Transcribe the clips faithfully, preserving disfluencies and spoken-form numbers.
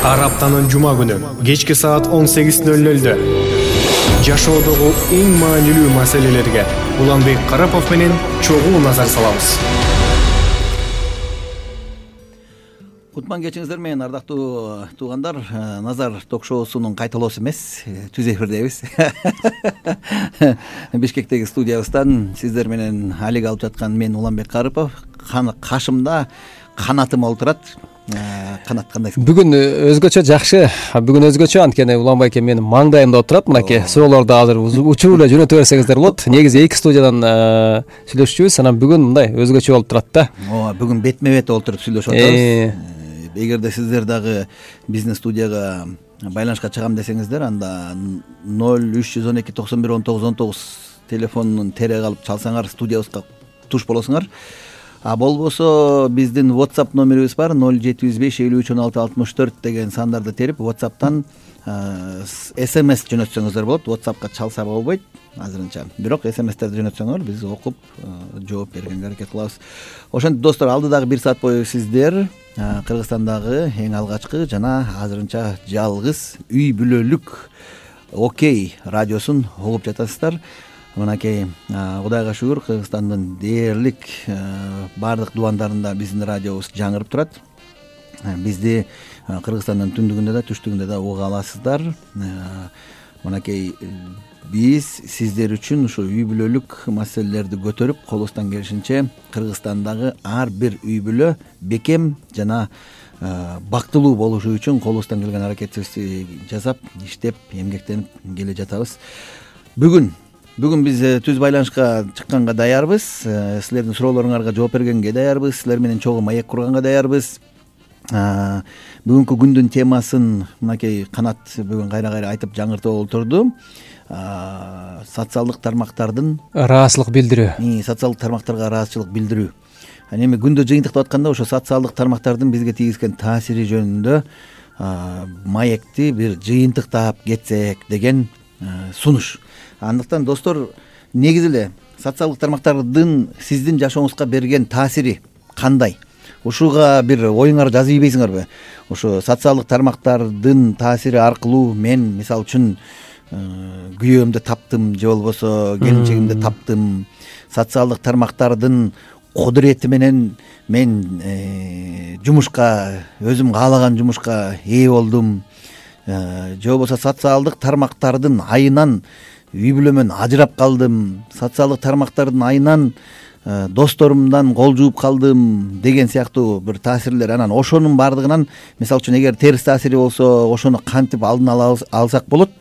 Ар аптанын жума күнү кечки саат он сегиз ноль нольдө жашоодогу эң маанилүү маселелерге Уланбек Карапов менен чогуу назар салабыз. Кутман кечиңиздер менен, ардактуу туугандар. Назар ток-шоусунун кайталоосу эмес, түз эфирдебиз. Бишкектеги студиябыздан сиздер менен алек алып жаткан мен Уланбек Карапов, кашымда канатым олтурат. Канат кандайсың? Бүгүн өзгөчө жакшы. Бүгүн өзгөчө, анткени Уланбай эке менин маңдайымда отурат. Мынакей суроолорду азыр учуп эле жөнөтө берсеңиздер болот. Негизи эки студиядан сүйлөшчүбүз, анан бүгүн мындай өзгөчө болуп турат да. Ооба, бүгүн бетме бет отуруп сүйлөшүп атабыз. Эгерде сиздер дагы бизнес студияга байланышка чыгам десеңиздер, анда ноль үч жүз он эки токсон бир он тогуз он тогуз телефонунун тереги алып чалсаңар студиябызга туш болосуңар. А болбосо биздин WhatsApp номерибиз бар, ноль жети жүз беш элүү үч он алты алтымыш төрт деген сандарды терип WhatsApp'тан эс эм эс жөнөтсөңүздөр болот. WhatsApp'ка чалса болбойт азырынча. Бирок эс эм эстерди жөнөтсөңөр биз окуп жооп бергенге аракет кылабыз. Ошентип достор, алдыдагы бир саат бою сиздер Кыргызстандагы эң алгачкы жана азырынча жалгыз үй бүлөлүк Окей радиосун угуп жатасыздар. Мынакей, Кудайга шүгүр, Кыргызстандын дээрлик баардык дубандарында биздин радиобуз жаңырып турат. Бизди Кыргызстандын түндүгүндө да, түштүгүндө да уга аласыздар. Мынакей, биз сиздер үчүн ушу үй бүлөлүк маселелерди көтөрүп, колубуздан келишинче Кыргызстандагы ар бир үй бүлө бекем жана бактылуу болушу үчүн колубуздан келген аракетибизди жасап, иштеп, эмгектенип келе жатабыз. Бүгүн Бүгүн биз түз байланышка чыкканга даярбыз. Силердин суроолоруңарга жооп бергенге даярбыз. Силер менен чогуу маек курганга даярбыз. Бүгүнкү күндүн темасын мынакей Канат бүгүн кайра-кайра айтып жаңыртып олтурду. Социалдык тармактардын ыраазычылык билдирүү. Социалдык тармактарга ыраазычылык билдирүү. Эми күндө жыйынтыктап атканда ошо социалдык тармактардын бизге тийгизген таасири жөнүндө маекти бир жыйынтыктап кетсек деген сунуш. Андыктан достор, негизи эле социалдык тармактардын сиздин жашооңузга берген таасири кандай? Ушуга бир оюңарды жазып ийбейсиңерби? Ошо социалдык тармактардын таасири аркылуу мен мисалы үчүн күйөөмдү таптым же болбосо келинчегимди таптым. Социалдык тармактардын кудурети менен мен жумушка, өзүм каалаган жумушка ээ болдум. Же болбосо социалдык тармактардын айынан үй бүлөмөн ажырап калдым, социалдык тармактардын айынан досторумдан кол жууп калдым деген сыяктуу бир таасирлер. Анан ошонун баардыгынан, мисалы үчүн, эгер терс таасири болсо, ошону кантип алдын ала алсак болот?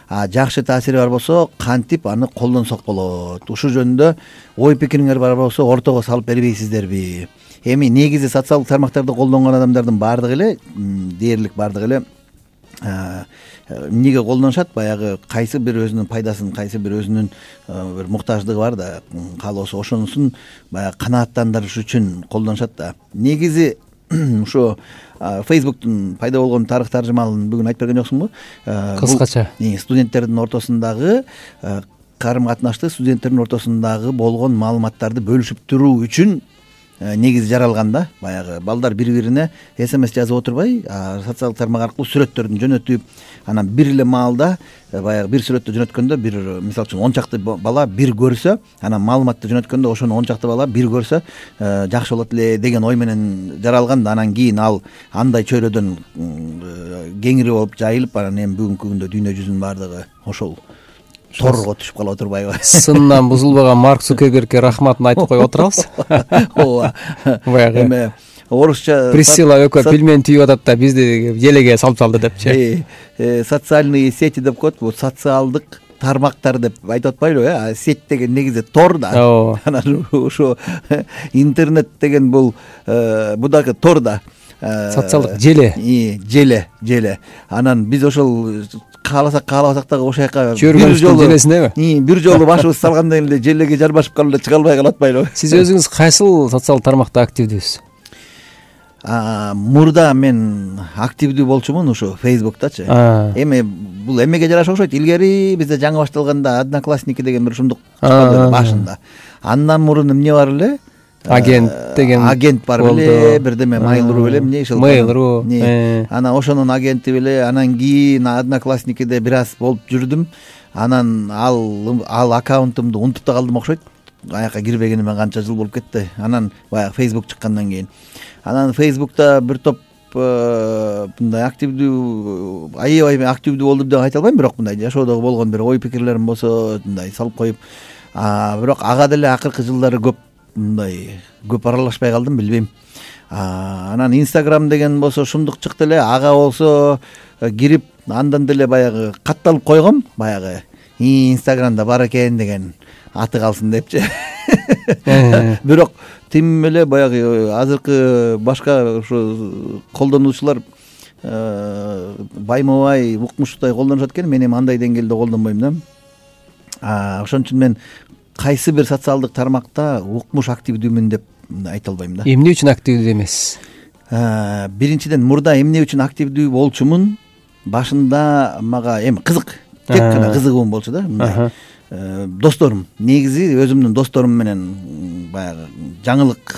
А жакшы таасири бар болсо, кантип аны колдонсок болот? Ушул жөнүндө ой пикириңер бар болсо, ортого салып бербейсиздерби? Эми негизи социалдык тармактарды колдонгон адамдардын баардыгы эле, дээрлик баардыгы эле эмнеге колдонушат? Баягы кайсы бир өзүнүн пайдасын, кайсы бир өзүнүн бир муктаждыгы бар да, каалоосу, ошонусун баягы канааттандырыш үчүн колдонушат да. Негизи ушу Facebooktун пайда болгон тарых таржымалын бүгүн айтып берген жоксуңбу? Кыскача. Студенттердин ортосундагы карым катнашты, студенттердин ортосундагы болгон маалыматтарды бөлүшүп туруу үчүн негизи жаралган да. Баягы балдар бири-бирине эс эм эс жазып отурбай, социалдык тармак аркылуу сүрөттөрдүн жөнөтүп, анан бир эле маалда баягы бир сүрөттү жөнөткөндө, бир мисалы үчүн он чакты бала бир көрсө, анан маалыматты жөнөткөндө ошону он чакты бала бир көрсө жакшы болот эле деген ой менен жаралган да. Анан кийин ал андай чөйрөдөн кеңири болуп жайылып, анан эми бүгүнкү күндө дүйнө жүзүнүн баардыгы ошол торго түшүп калып отурбайбы? Сындан бузулбаган Марк Цукербергке рахматын айтып коюп отурабыз. Ооба. Баягы эми орусча Присцилла экөө пельмен түйүп атат да, бизди желеге салып салды депчи. Социальные сети деп коет, бул социалдык тармактар деп айтып атпайлыбы? Э, сеть деген негизи тор да. Анан ошо интернет деген бул бу дагы тор да. Социалдык желе. Желе, желе. Анан биз ошол кааласак каалабасак дагы ошол жака бир жолу желесинеби? Бир жолу башыбыз салгандан эле желеге жарбашып калып эле чыга албай калып атпайлыбы? Сиз өзүңүз кайсыл социалдык тармакта активдүүсүз? Мурда мен активдүү болчумун ушу Facebooktачы. Эми бул эмеге жараша окшойт. Илгери бизде жаңы башталганда Одноклассники деген бир ушундук чыккан башында. Андан мурун эмне бар эле? агент деген агент бар беле, бирдеме Mail.ru беле, эмне ошол Mail.ru, анан ошонун агенти беле. Анан кийин Одноклассникиде бир аз болуп жүрдүм. Анан ал ал аккаунтумду унутуп да калдым окшойт. Аяка кирбегениме канча жыл болуп кетти. Анан баягы Facebook чыккандан кийин. Анан Facebook'та бир топ мындай активдүү, аябай активдүү болдум деп айта албайм, бирок мындай жашоодогу болгон бир ой пикирлерим болсо мындай салып коюп, бирок ага деле акыркы жылдары көп мындай көп аралашпай калдым, билбейм. Анан Instagram деген болсо шумдук чыкты эле, ага болсо кирип андан деле баягы катталып койгом, баягы Instagramда бар экен деген аты калсын депчи. Бирок тим эле баягы азыркы башка ошо колдонуучулар байма-бай укмуштай колдонушат экен, мен эми андай деңгээлде колдонбойм да. Ошон үчүн мен кайсы бир социалдык тармакта укмуш активдүүмүн деп айта албайм да. Эмне үчүн активдүү эмес? Биринчиден мурда эмне үчүн активдүү болчумун, башында мага эми кызык, тек гана кызыгуум болчу да. Мындай досторум, негизи өзүмдүн досторум менен баягы жаңылык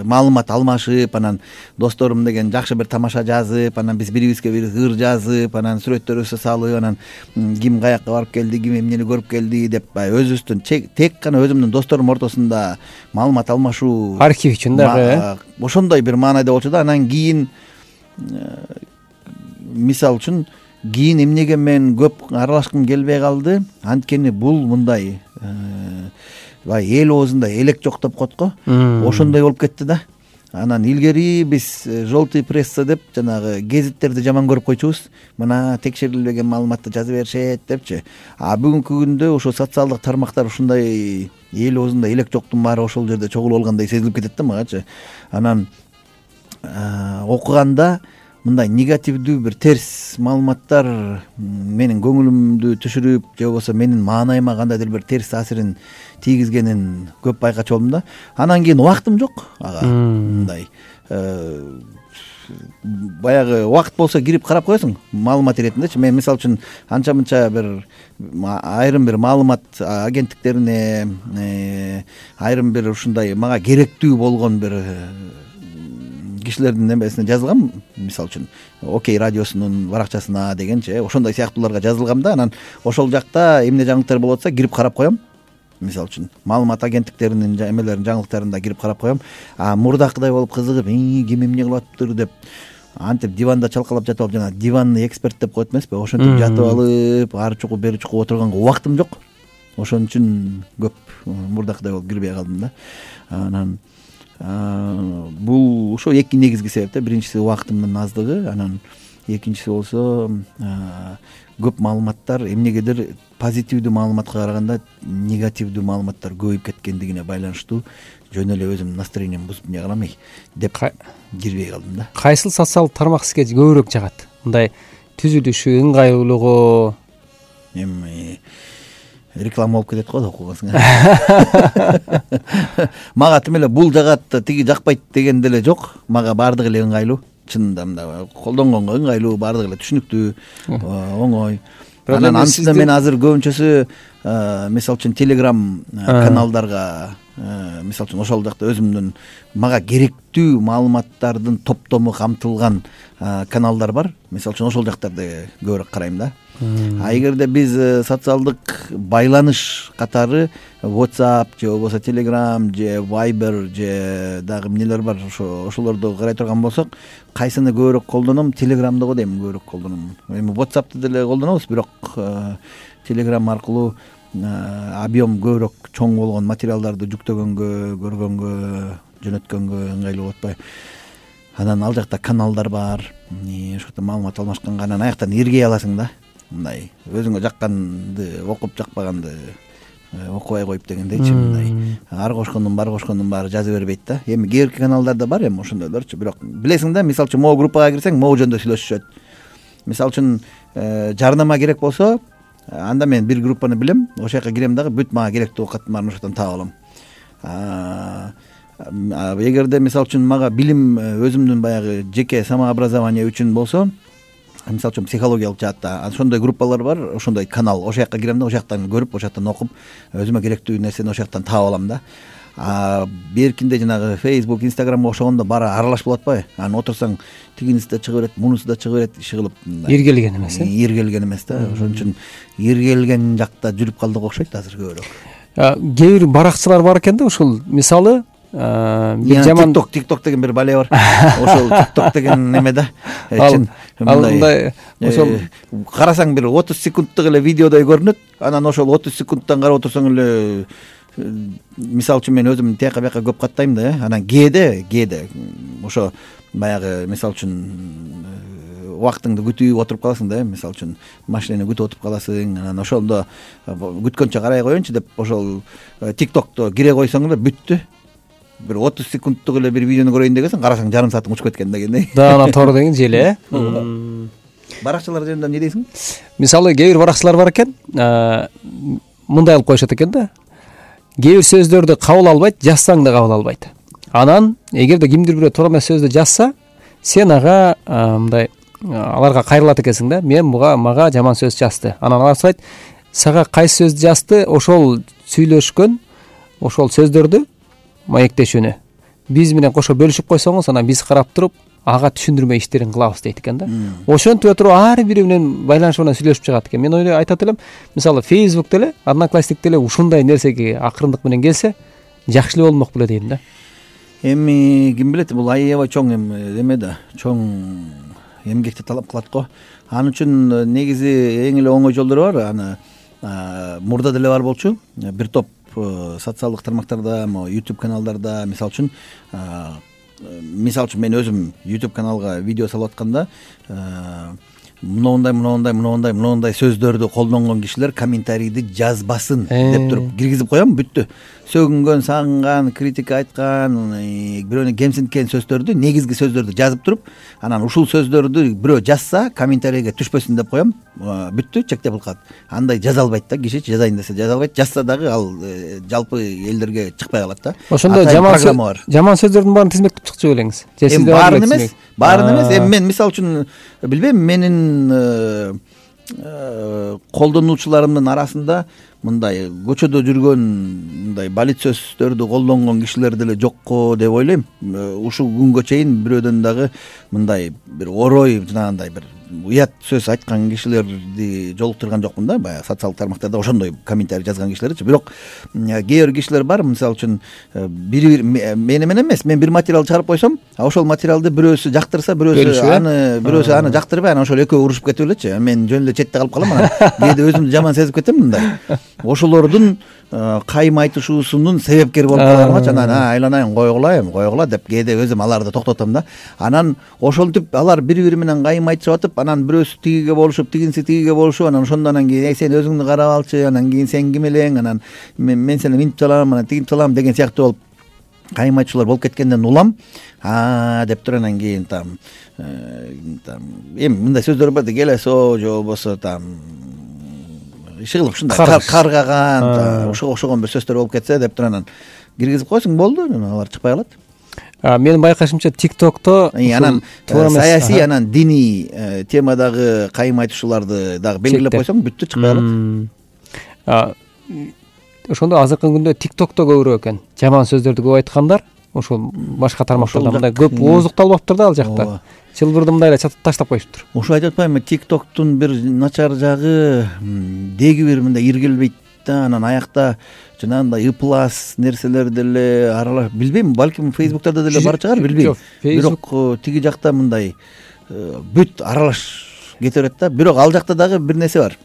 маалымат алмашып, анан досторум деген жакшы бир тамаша жазып, анан биз бирибизге бири ыр жазып, анан сүрөттөрүбүздү салып, анан ким каяка барып келди, ким эмнени көрүп келди деп баягы өзүбүздүн тек гана өзүмдүн досторум ортосунда маалымат алмашуу, архив үчүн дагы ошондой бир маанайда болчу да. Анан кийин мисалы үчүн кийин эмнеге мен көп аралашкым келбей калды, анткени бул мындай баягы эл оозунда элек жок деп коет го, ошондой болуп кетти да. Анан илгери биз желтый пресса деп жанагы гезиттерди жаман көрүп койчубуз, мына текшерилбеген маалыматты жаза беришет депчи. А бүгүнкү күндө ошо социалдык тармактар ушундай эл оозунда элек жоктун баары ошол жерде чогулуп алгандай сезилип кетет да магачы. Анан окуганда мындай негативдүү бир терс маалыматтар менин көңүлүмдү түшүрүп, же болбосо менин маанайыма кандайдыр бир терс таасирин тийгизгенин көп байкачу болдум да. Анан кийин убактым жок ага. Мындай баягы убакыт болсо кирип карап коесуң маалымат иретиндечи. Мен мисалы үчүн анча-мынча бир айрым бир маалымат агенттиктерине, айрым бир ушундай мага керектүү болгон бир кишилердин эмесине жазылгам, мисалы үчүн Окей радиосунун баракчасына дегенчи, ошондой сыяктууларга жазылгам да. Анан ошол жакта эмне жаңылыктар болуп атса кирип карап коем. Мисалы үчүн маалымат агенттиктеринин эмелерин жаңылыктарында кирип карап коем. А мурдакыдай болуп кызыгып, ким эмне кылып атыптыр деп антип диванда чалкалап жатып алып, жана диванный эксперт деп коет эмеспи, ошентип жатып алып ары чукуп бери чукуп отурганга убактым жок. Ошон үчүн көп мурдакыдай болуп кирбей калдым да. Анан бул ошо эки негизги себеп да. Биринчиси убактымдын аздыгы, анан экинчиси болсо көп маалыматтар эмнегедир позитивдүү маалыматка караганда негативдүү маалыматтар көбөйүп кеткендигине байланыштуу жөн эле өзүмдүн настроениемди бузуп эмне кылам деп кирбей калдым да. Кайсыл социалдык тармак сизге көбүрөөк жагат? Мындай түзүлүшү, ыңгайлуулугу? Эми реклама болуп кетет го окугансың. Мага тим эле бул жагат, тиги жакпайт деген деле жок. Мага баардыгы эле ыңгайлуу. Чынында мындай колдонгонго ыңгайлуу, баардыгы эле түшүнүктүү, оңой. Анан антында мен азыр көбүнчөсү мисалы үчүн Telegram каналдарга, мисалы үчүн ошол жакта өзүмдүн мага керектүү маалыматтардын топтому камтылган каналдар бар. Мисалы үчүн ошол жактарды көбүрөөк карайм да. А эгерде биз социалдык байланыш катары WhatsApp же болбосо Telegram же Viber же дагы эмнелер бар, ошо ошолорду карай турган болсок, кайсыны көбүрөөк колдоном? Telegramды дейм көбүрөөк колдоном. Эми WhatsAppты деле колдонобуз, бирок Telegram аркылуу объем көбүрөөк чоң болгон материалдарды жүктөгөнгө, көргөнгө, жөнөткөнгө ыңгайлуу болуп атпайбы? Анан ал жакта каналдар бар, ошол жакта маалымат алмашканга анан аяктан эргей аласың да. Мындай өзүңө жакканды окуп, жакпаганды окубай коюп дегендейчи, мындай ар кошкондун бар кошкондун баары жаза бербейт да. Эми кээ бирки каналдарда бар эми ошондойлорчу, бирок билесиң да, мисалы үчүн могу группага кирсең, могу жөнүндө сүйлөшүшөт. Мисалы үчүн жарнама керек болсо, анда мен бир группаны билем, ошол жака кирем дагы бүт мага керектүү каттын баарын ошол жактан таап алам. Эгерде мисалы үчүн мага билим өзүмдүн баягы жеке самообразование үчүн болсо, мисалы үчүн психологиялык жаатта ошондой группалар бар, ошондой канал, ошол жака кирем да, ошол жактан көрүп, ошол жактан окуп, өзүмө керектүү нерсени ошол жактан таап алам да. а беркинде жанагы Facebook, Instagramга окшогондо баары аралаш болуп атпайбы? Анан отурсаң тигиниси да чыга берет, мунусу да чыга берет, иши кылып иргелген эмес э иргелген эмес да. Ошон үчүн иргелген жакта жүрүп калдык окшойт азыр көбүрөөк. Кээ бир баракчылар бар экен да, ушул мисалы бир жаман TikTok TikTok деген бир бале бар. Ошол TikTok деген неме да. Ал мындай ошол карасаң бир отуз секундтук эле видеодой көрүнөт. Анан ошол отуз секундтан карап отурсаң эле, мисалы үчүн мен өзүм тияка бияка көп каттайм да. Анан кээде кээде ошо баягы мисалы үчүн убактыңды күтүп отуруп каласың да. Мисалы үчүн машинени күтүп отуруп каласың. Анан ошондо күткөнчө карай коеюнчу деп ошол TikTokто кире койсоң эле бүттү. Бир отуз секундтук эле бир видеону көрөйүн дегенсиң, карасаң жарым саатың учуп кеткен дегендей. Да, анан тор деген желе э. Баракчылар жөнүндө эмне дейсиң? Мисалы кээ бир баракчылар бар экен, мындай кылып коюшат экен да. Кээ бир сөздөрдү кабыл албайт, жазсаң да кабыл албайт. Анан эгерде кимдир бирөө туура эмес сөздү жазса, сен ага мындай аларга кайрылат экенсиң да. Мен буга мага жаман сөз жазды. Анан алар сурайт, сага кайсы сөздү жазды? Ошол сүйлөшкөн ошол сөздөрдү маектешүүнү биз менен кошо бөлүшүп койсоңуз, анан биз карап туруп ага түшүндүрмө иштерин кылабыз дейт экен да. Ошентип туруп ар бири менен байланышып анан сүйлөшүп чыгат экен. Мен ойлойм, айтат элем, мисалы Facebook деле, Одноклассник деле ушундай нерсеге акырындык менен келсе, жакшы эле болмок беле дейм да. Эми ким билет, бул аябай чоң эме да, чоң эмгекти талап кылат го. Ал үчүн негизи эң эле оңой жолдору бар. Аны мурда деле бар болчу. Бир топ социалдык тармактарда, YouTube каналдарда, мисалы үчүн мисалы үчүн мен өзүм YouTube каналга видео салып атканда, мындай мындай мындай мындай сөздөрдү колдонгон кишилер комментарийди жазбасын деп туруп киргизип коем, бүттү. Сөгүнгөн, сагынган, критика айткан, бирөөнү кемсинткен сөздөрдү, негизги сөздөрдү жазып туруп, анан ушул сөздөрдү бирөө жазса, комментарийге түшпөсүн деп коем, бүттү, чектеп калат. Андай жаза албайт да, киши жазайын десе жаза албайт, жазса дагы ал жалпы элдерге чыкпай калат да. Ошондо жаман жаман сөздөрдүн баарын тизмектеп чыкчу белеңиз. Эми баарын эмес, баарын эмес. Эми мен мисалы үчүн билбейм, менин колдонуучуларымдын арасында мындай көчөдө жүргөн мындай балит сөздөрдү колдонгон кишилер деле жокко деп ойлойм. Ушул күнгө чейин бирөөдөн дагы мындай бир орой жанагындай бир уят сөз айткан кишилерди жолуктурган жокмун да. Баягы социалдык тармактарда ошондой комментарий жазган кишилерчи. Бирок кээ бир кишилер бар, мисалы үчүн бири мени менен эмес, мен бир материал чыгарып койсом, ошол материалды бирөөсү жактырса, бирөөсү аны бирөөсү аны жактырбай, анан ошол экөө урушуп кетип элечи. Мен жөн эле четте калып калам, анан кээде өзүмдү жаман сезип кетем мындай. Ошолордун кайым айтышуусунун себепкери болуп калганымачы, анан айланайын койгула, койгула деп кээде өзүм аларды токтотом да. Анан ошентип алар бири-бири менен кайым айтышып атып, анан бирөөсү тигиге болушуп, тигинси тигиге болушуп, анан ошондон кийин сен өзүңдү карап алчы, анан кийин сен ким элең, анан мен сени минтип салам, анан тигинтип салам деген сыяктуу болуп кайым айтышуулар болуп кеткенден улам, а деп туруп анан кийин там там эми мындай сөздөр бар да, келесо же болбосо там иши кылып ушундай каргаган, ошого окшогон бир сөздөр болуп кетсе деп туруп анан киргизип койсуң, болду, алар чыкпай калат. Менин байкашымча TikTokто анан саясий, анан диний темадагы кайым айтышууларды дагы белгилеп койсоң, бүттү, чыкпай калат. Ошондо азыркы күндө TikTokто көбүрөөк экен жаман сөздөрдү көп айткандар. Ошол башка тармактарда мындай көп ооздукталбаптыр да ал жакта. Чылбырды мындай эле таштап коюшуптур. Ошо айтып атпаймынбы, TikToктун бир начар жагы деги бир мындай иргилбейт да, анан аякта жанагындай ыплас нерселер деле аралаш, билбейм, балким Facebook'та деле бар чыгар, билбейм. Бирок тиги жакта мындай бүт аралаш кете берет да. Бирок ал жакта дагы бир нерсе бар.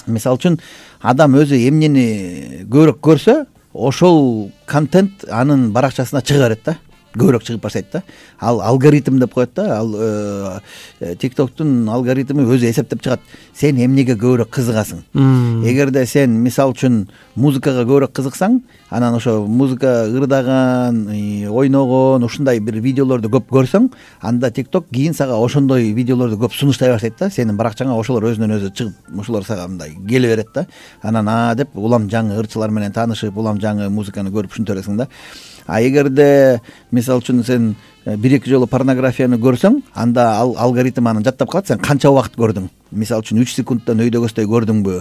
Мисалы үчүн адам өзү эмнени көбүрөөк көрсө, ошол контент анын баракчасына чыга берет да. Көбүрөөк чыгып баштайт да. Ал алгоритм деп коет да. Ал TikToктун алгоритми өзү эсептеп чыгат. Сен эмнеге көбүрөөк кызыгасың. Эгерде сен мисалы үчүн музыкага көбүрөөк кызыксаң, анан ошо музыка ырдаган, ойногон, ушундай бир видеолорду көп көрсөң, анда TikTok кийин сага ошондой видеолорду көп сунуштай баштайт да. Сенин баракчаңа ошолор өзүнөн өзү чыгып, ошолор сага мындай келе берет да. Анан а деп улам жаңы ырчылар менен таанышып, улам жаңы музыканы көрүп ушинте бересиң да. А эгерде мисалы үчүн сен бир эки жолу порнографияны көрсөң, анда ал алгоритм аны жаттап калат, сен канча убакыт көрдүң. мисалы үчүн үч секундтан өйдө көздөй көрдүңбү,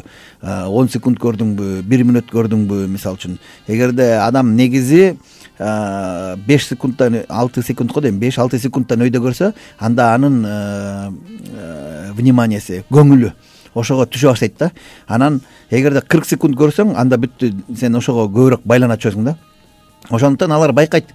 он секунд көрдүңбү, бир мүнөт көрдүңбү, мисалы үчүн эгерде адам негизи беш секундтан алты секунд го дейм, беш алты секундтан өйдө көрсө, анда анын вниманияси, көңүлү ошого түшө баштайт да. Анан эгерде кырк секунд көрсөң, анда бүттү, сен ошого көбүрөөк байлана түшөсүң да. Ошондуктан алар байкайт.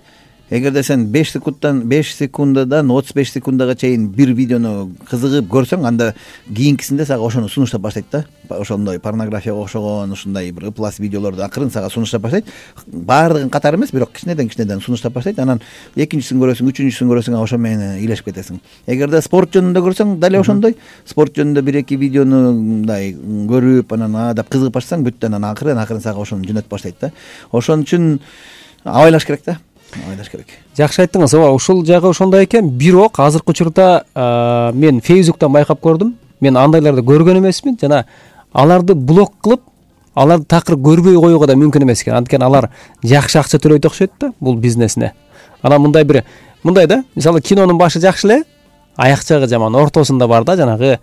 Эгерде сен беш секундтан беш секундадан отуз беш секундага чейин бир видеону кызыгып көрсөң, анда кийинкисинде сага ошону сунуштап баштайт да. Ошондой порнографияга окшогон, ушундай бир ыплас видеолорду акырын сага сунуштап баштайт. Баардыгын катары эмес, бирок кичинеден кичинеден сунуштап баштайт. Анан экинчисин көрөсүң, үчүнчүсүн көрөсүң, ошо менен ыйлашып кетесиң. Эгерде спорт жөнүндө көрсөң, дали ошондой. Спорт жөнүндө бир эки видеону мындай көрүп, анан а деп кызыгып баштасаң, бүттү, анан акырын акырын сага ошону жөнөтүп баштайт да. Ошон үчүн абайлаш керек да. Ойлош керек. Жакшы айттыңыз. Ооба, ушул жагы ошондой экен. Бирок азыркы учурда мен Facebook'тан байкап көрдүм. Мен андайларды көргөн эмесмин жана аларды блок кылып, аларды такыр көрбөй коюуга да мүмкүн эмес экен. Анткени алар жакшы акча төлөйт окшойт да бул бизнесине. Анан мындай бир мындай да, мисалы кинонун башы жакшы эле, аяк жагы жаман, ортосунда бар да жанагы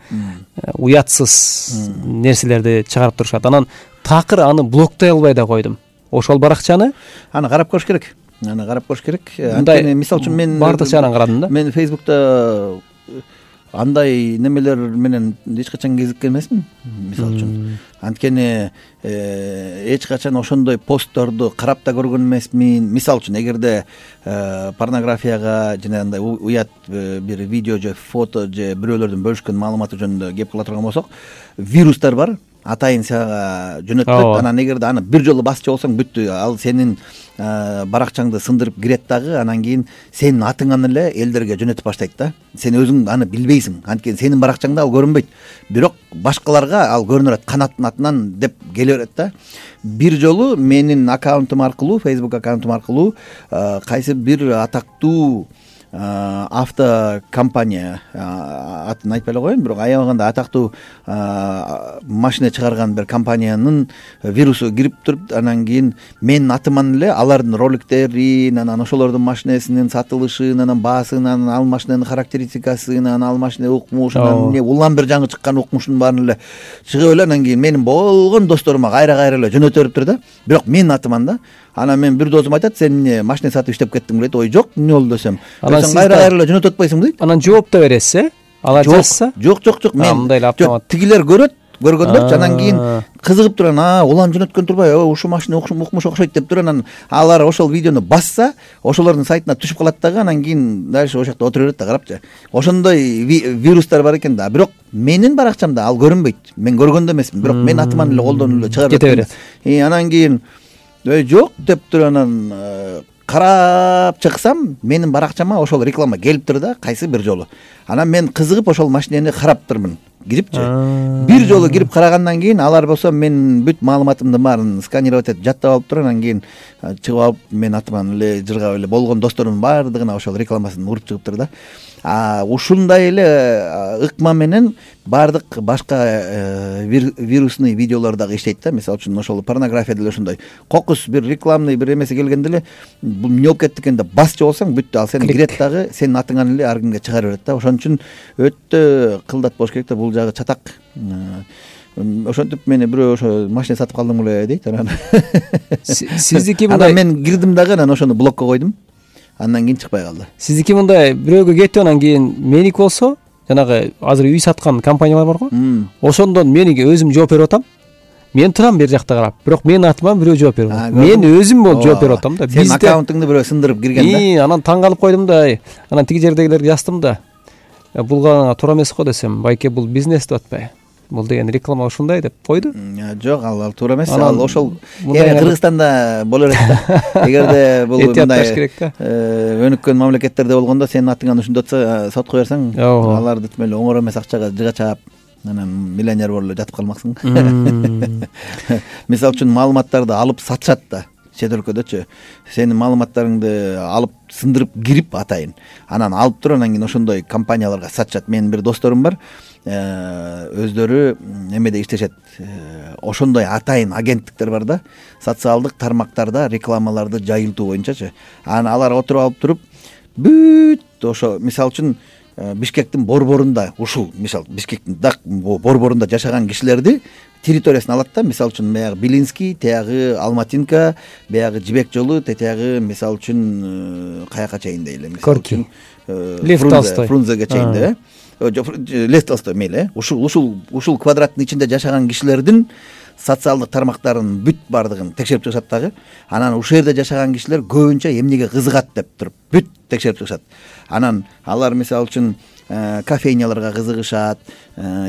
уятсыз нерселерди чыгарып турушат. Анан такыр аны блоктой албай да койдум. Ошол баракчаны аны карап көрүш керек. Аны карап көрүш керек. Анткени мисалы үчүн мен бардык жагынан карадым да. Мен Facebook'та андай немелер менен эч качан кезиккен эмесмин, мисалы үчүн. Анткени эч качан ошондой постторду карап да көргөн эмесмин. Мисалы үчүн эгерде порнографияга жана андай уят бир видео же фото же бирөөлөрдүн бөлүшкөн маалыматы жөнүндө кеп кыла турган болсок, вирустар бар. Атайын сага жөнөтүлөт. Анан эгерде аны бир жолу басчу болсоң, бүттү. Ал сенин баракчаңды сындырып кирет дагы, анан кийин сенин атыңан эле элдерге жөнөтүп баштайт да. Сен өзүң аны билбейсиң. Анткени сенин баракчаңда ал көрүнбөйт. Бирок башкаларга ал көрүнө берет, канаттын атынан деп келе берет да. Бир жолу менин аккаунтум аркылуу, Facebook аккаунтум аркылуу кайсы бир атактуу автокомпания, атын айтпай эле коеюн, бирок аябаганда атактуу машина чыгарган бир компаниянын вирусу кирип туруп, анан кийин менин атыман эле алардын роликтерин, анан ошолордун машинесинин сатылышын, анан баасын, анан ал машинанын характеристикасын, анан ал машина укмушун, анан эмне улам бир жаңы чыккан укмушун баарын эле чыгып эле, анан кийин менин болгон досторума кайра кайра эле жөнөтө бериптир да. Бирок менин атыман да. Анан мен бир досум айтат, сен эмне машина сатып иштеп кеттиң дейт. Ой, жок, эмне болду десем. Сен кайра кайра эле жөнөтүп атпайсың дейт. Анан жооп да бересиз, э? Алар жазса? Жок, жок, жок. Мен мындай автомат. Тигилер көрөт, көргөндөр, анан кийин кызыгып турган, а, улам жөнөткөн турбай, ушул машина укмуш окшойт деп туруп, анан алар ошол видеону басса, ошолордун сайтына түшүп калат дагы, анан кийин дальше ошол жакта отура берет да, карапчы. Ошондой вирустар бар экен да. Бирок менин баракчамда ал көрүнбөйт. Мен көргөндө эмесмин, бирок мен атыман эле колдонуп эле чыгарып кете берет. И анан кийин ой, жок деп туруп, анан карап чыксам, менин баракчама ошол реклама келиптир да, кайсы бир жолу. Анан мен кызыгып ошол машинени караптырмын, кирипчи. Бир жолу кирип карагандан кийин алар болсо мен бүт маалыматымдын баарын сканировать этип жаттап алып туруп, анан кийин чыгып алып мен атыман эле жыргап эле болгон досторумдун баардыгына ошол рекламасын уруп чыгыптыр да. А ушундай эле ыкма менен баардык башка вирусный видеолор дагы иштейт да. Мисалы үчүн ошол порнография деле ошондой. Кокус бир рекламный бир эмеси келгенде эле бул эмне болуп кетти экен деп басчу болсоң, бүттү, ал сени кирет дагы, сенин атыңан эле ар кимге чыгара берет да. Ошон үчүн өтө кылдат болуш керек да, бул жагы чатак. Ошентип мени бирөө ошо машина сатып калдың беле дейт, анан сиздики мындай. Анан мен кирдим дагы, анан ошону блокко койдум. Андан кийин чыкпай калды. Сиздики мындай бирөөгө кетип, анан кийин меники болсо, жанагы азыр үй саткан компаниялар барго, ошондон меники өзүм жооп берип атам. Мен турам бер жакта карап, бирок менин атыма бирөө жооп берип атат. Мен өзүм болуп жооп берип атам да. Сенин аккаунтуңду бирөө сындырып кирген да. И, анан таң калып койдум да. Анан тиги жердегилерге жаздым да. Бул гана туура эмес го десем, байке бул бизнес деп атпайбы? Бул деген реклама ушундай деп койду. Жок, ал ал туура эмес. Ал ошол эми Кыргызстанда боло берет да. Эгерде бул мындай өнүккөн мамлекеттерде болгондо сенин атыңан ушундай атса, сотко берсең, аларды тим эле оңор эмес акчага жыга чаап, анан миллионер болуп эле жатып калмаксың. Мисалы үчүн маалыматтарды алып сатышат да. Чет өлкөдөчү сенин маалыматтарыңды алып сындырып кирип атайын, анан алып туруп, анан кийин ошондой компанияларга сатышат. Менин бир досторум бар, өздөрү эмеде иштешет, ошондой атайын агенттиктер бар да, социалдык тармактарда рекламаларды жайылтуу боюнчачы. Анан алар отуруп алып туруп, бүт ошо мисалы үчүн Бишкектин борборунда ушул мисалы Бишкектин дак борборунда жашаган кишилерди территориясын алат да, мисалы үчүн баягы Белинский, тиягы Алматинка, баягы Жибек жолу, тетиягы мисалы үчүн каяка чейин дейли, мисалы үчүн Лев Толстой, Фрунзеге чейин да, Лев Толстой мейли, ушул ушул ушул квадраттын ичинде жашаган кишилердин социалдык тармактарын бүт бардыгын текшерип чыгышат дагы. Анан ушул жерде жашаган кишилер көбүнчө эмнеге кызыгат деп туруп бүт текшерип чыгышат. Анан алар мисалы үчүн кофейняларга кызыгышат,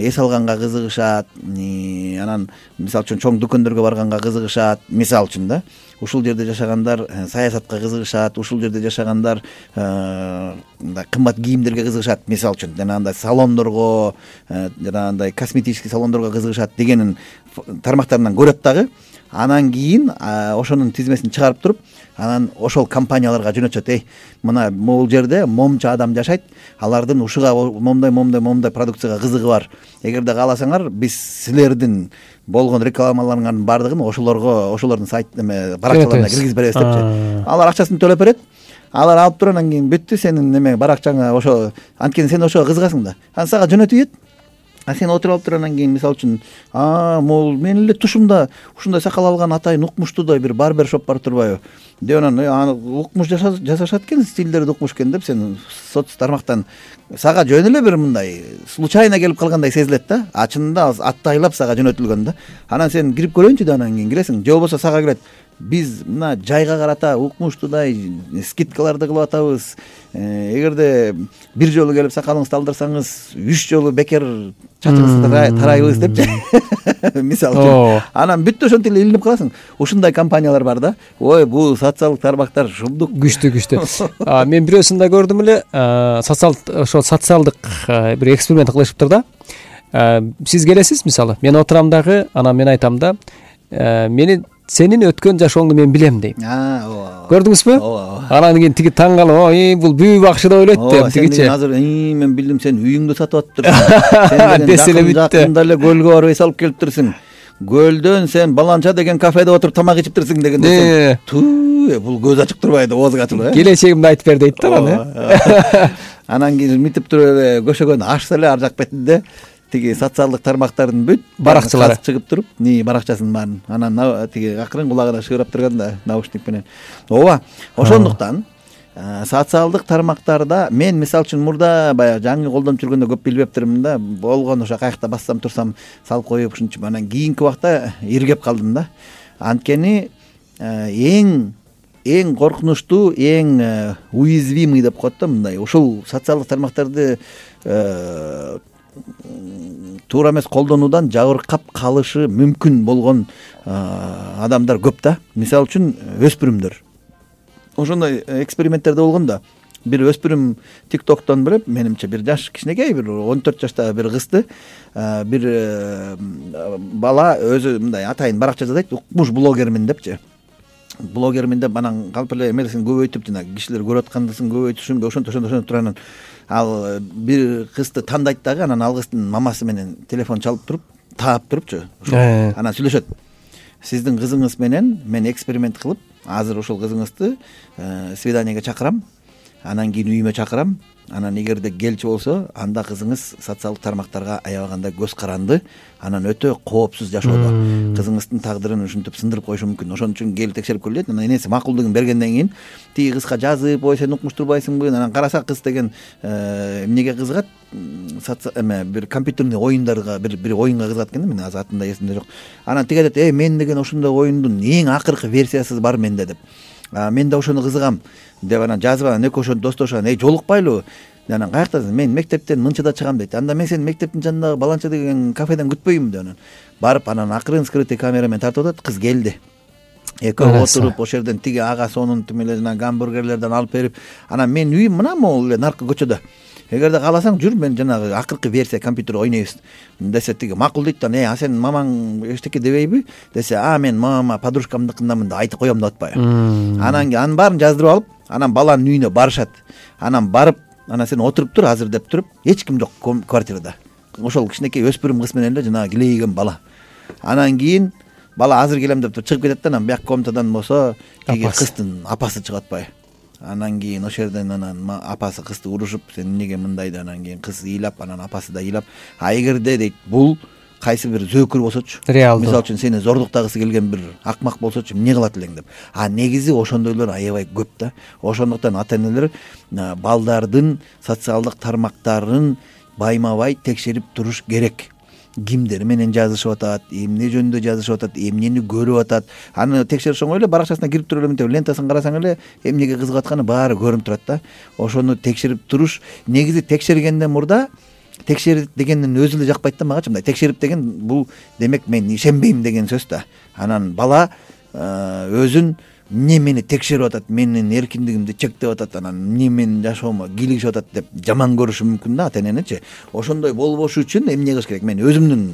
эс алганга кызыгышат, анан мисалы үчүн чоң дүкөндөргө барганга кызыгышат, мисалы үчүн да. Ушул жерде жашагандар саясатка кызыгышат, ушул жерде жашагандар кымбат кийимдерге кызыгышат, мисалы үчүн жанагындай салондорго, жанагындай косметический салондорго кызыгышат дегенин тармактарынан көрөт дагы. Анан кийин ошонун тизмесин чыгарып туруп, анан ошол компанияларга жөнөтөт. Эй, мына могул жерде момча адам жашайт, алардын ушуга момдай момдай момдай продукцияга кызыгы бар. Эгерде кааласаңар, биз силердин болгон рекламаларыңардын бардыгын ошолорго, ошолордун сайт эме баракчаларына киргизип беребиз депчи. Алар акчасын төлөп берет. Алар алып туруп анан кийин бүттү сенин неме баракчаңа ошо, анткени сен ошого кызыгасың да. Анан сага жөнөтүп ийет. А сен отуруп алып туруп анан кийин мисалы үчүн, а, могул менин эле тушумда ушундай сакал алган атайын укмуштуудай бир барбершоп бар турбайбы деп анан аны укмуш жасашат экен, стилдери укмуш экен деп сен соц тармактан сага жөн эле бир мындай случайно келип калгандай сезилет да. А чынында атты айлап сага жөнөтүлгөн да. Анан сен кирип көрөйүнчү да, анан кийин киресиң. Же болбосо сага келет, биз мына жайга карата укмуштуудай скидкаларды кылып атабыз. Эгерде бир жолу келип сакалыңызды алдырсаңыз, үч жолу бекер чачыңызды тарайбыз депчи. Мисалы үчүн. Анан бүттү ошентип эле илинип каласың. Ушундай компаниялар бар да. Ой, бул социалдык тармактар шумдук күчтүү күчтүү. Мен бирөөсүн да көрдүм эле, социал ошо социалдык бир эксперимент кылышыптыр да. Сиз келесиз мисалы, мен отурам дагы, анан мен айтам да, мени сенин өткөн жашооңду мен билем дейм. ооба. Көрдүңүзбү? Ооба. Анан кийин тиги таң калып, ой, бул бүү бакшы деп ойлойт деп тигичи. Азыр мен билдим, сен үйүңдү сатып атыптырсың. Сен деселе бүттү. Жакында эле көлгө барып эс алып келиптирсиң. Көлдөн сен баланча деген кафеде отуруп тамак ичиптирсиң дегенде, туу, бул көз ачык турбайбы, оозуң ачылбы э? Келечегимди айтып бер дейт да аны. Анан кийин митип туруп эле көшөгөн ашса эле ар жак бетинде тиги социалдык тармактардын бүт баракчалары чыгып туруп, ни баракчасын баарын. Анан тиги акырын кулагына шыгырап турган да, наушник менен. Ооба. Ошондуктан социалдык тармактарда мен мисалы үчүн мурда баягы жаңы колдонуп жүргөндө көп билбептирмин да. Болгон ошо каякта бассам турсам салып коюп ушунчу. Анан кийинки убакта иргеп калдым да. Анткени эң эң коркунучтуу, эң уязвимый деп коет да мындай. Ушул социалдык тармактарды туура эмес колдонуудан жабыркап калышы мүмкүн болгон адамдар көп да. Мисалы үчүн өспүрүмдөр. Ошондой эксперименттерде болгон да. Бир өспүрүм тиктоктон билеп, менимче бир жаш кичинекей, бир он төрт жаштагы бир кызды бир бала өзү мындай атайын баракча жасайт, укмуш блогермин депчи. Блогермин деп анан калп эле эмесин көбөйтүп, жана кишилер көрүп аткандысын көбөйтүшүн, ошентип ошентип ошентип турганан ал бир кызды тандайт дагы, анан ал кыздын мамасы менен телефон чалып туруп, таап турупчу. Анан сүйлөшөт. Сиздин кызыңыз менен мен эксперимент кылып, азыр ошол кызыңызды свиданиеге чакырам, анан кийин үйүмө чакырам. Анан эгерде келчү болсо, анда кызыңыз социалдык тармактарга аябаганда көз каранды, анан өтө коопсуз жашоодо. Кызыңыздын тагдырын ушинтип сындырып коюшу мүмкүн. Ошон үчүн келип текшерип көрүлөт. Анан энеси макулдугун бергенден кийин тиги кызга жазып, ой сен укмуш турбайсыңбы? Анан караса кыз деген эмнеге кызыгат? Эме бир компьютерный оюндарга, бир бир оюнга кызыгат экен да, мен азыр атында эсимде жок. Анан тиги айтат, "Эй, мен деген ошондой оюндун эң акыркы версиясы бар менде" деп. Мен да ошону кызыгам деп анан жазып, анан экөө ошону достоошгон, "Эй, жолукпайлыбы?" Анан каяктасың? "Мен мектептен мынчада чыгам" дейт. "Анда мен сени мектептин жанындагы баланча деген кафеден күтпөйүнбү" деп анан барып, анан акырын скрытый камерамен тартып атат, кыз келди. Экөө отуруп, ошол жерден тиги ага сонун тимеле жана гамбургерлерден алып берип, анан мен үйүм мына могул эле наркы көчөдө. Эгерде кааласаң жүр, мен жанагы акыркы версия компьютер ойнойбуз десе, тиги макул дейт да. "Э, а сен мамаң эчтеке дебейби?" десе, "А, мен мамама подружкамдыкындамын да айтып коем деп атпайбы?" Анан анын баарын жаздырып алып, анан баланын үйүнө барышат. Анан барып, анан сен отуруп тур, азыр деп туруп, эч ким жок квартирада. Ошол кичинекей өспүрүм кыз менен эле жанагы килейген бала. Анан кийин бала азыр келем деп туруп чыгып кетет да, анан бияк комнатадан болсо тиги кыздын апасы чыгып атпайбы. анан кийин ошол жерден анан апасы кызды урушуп, сен эмнеге мындайды, анан кийин кыз ыйлап, анан апасы да ыйлап. А эгерде дейт бул кайсы бир зөөкүр болсочу, реалдуу, мисалы үчүн сени зордуктагысы келген бир акмак болсочу эмне кылат элең деп. А негизи ошондойлор аябай көп да. Ошондуктан ата энелер балдардын социалдык тармактарын байма-бай текшерип туруш керек. Кимдер менен жазышып атат, эмне жөнүндө жазышып атат, эмнени көрүп атат. Аны текшериш оңой эле, баракчасына кирип туруп эле мынтип лентасын карасаң эле эмнеге кызыгып атканы баары көрүнүп турат да. Ошону текшерип туруш, негизи текшергенден мурда, текшер дегендин өзү эле жакпайт да магачы. Мындай текшерип деген бул демек мен ишенбейм деген сөз да. Анан бала өзүн эмне мени текшерип атат, менин эркиндигимди чектеп атат, анан эмне менин жашоомо кийлигишип атат деп жаман көрүшү мүмкүн да ата эненичи. Ошондой болбош үчүн эмне кылыш керек? Мен өзүмдүн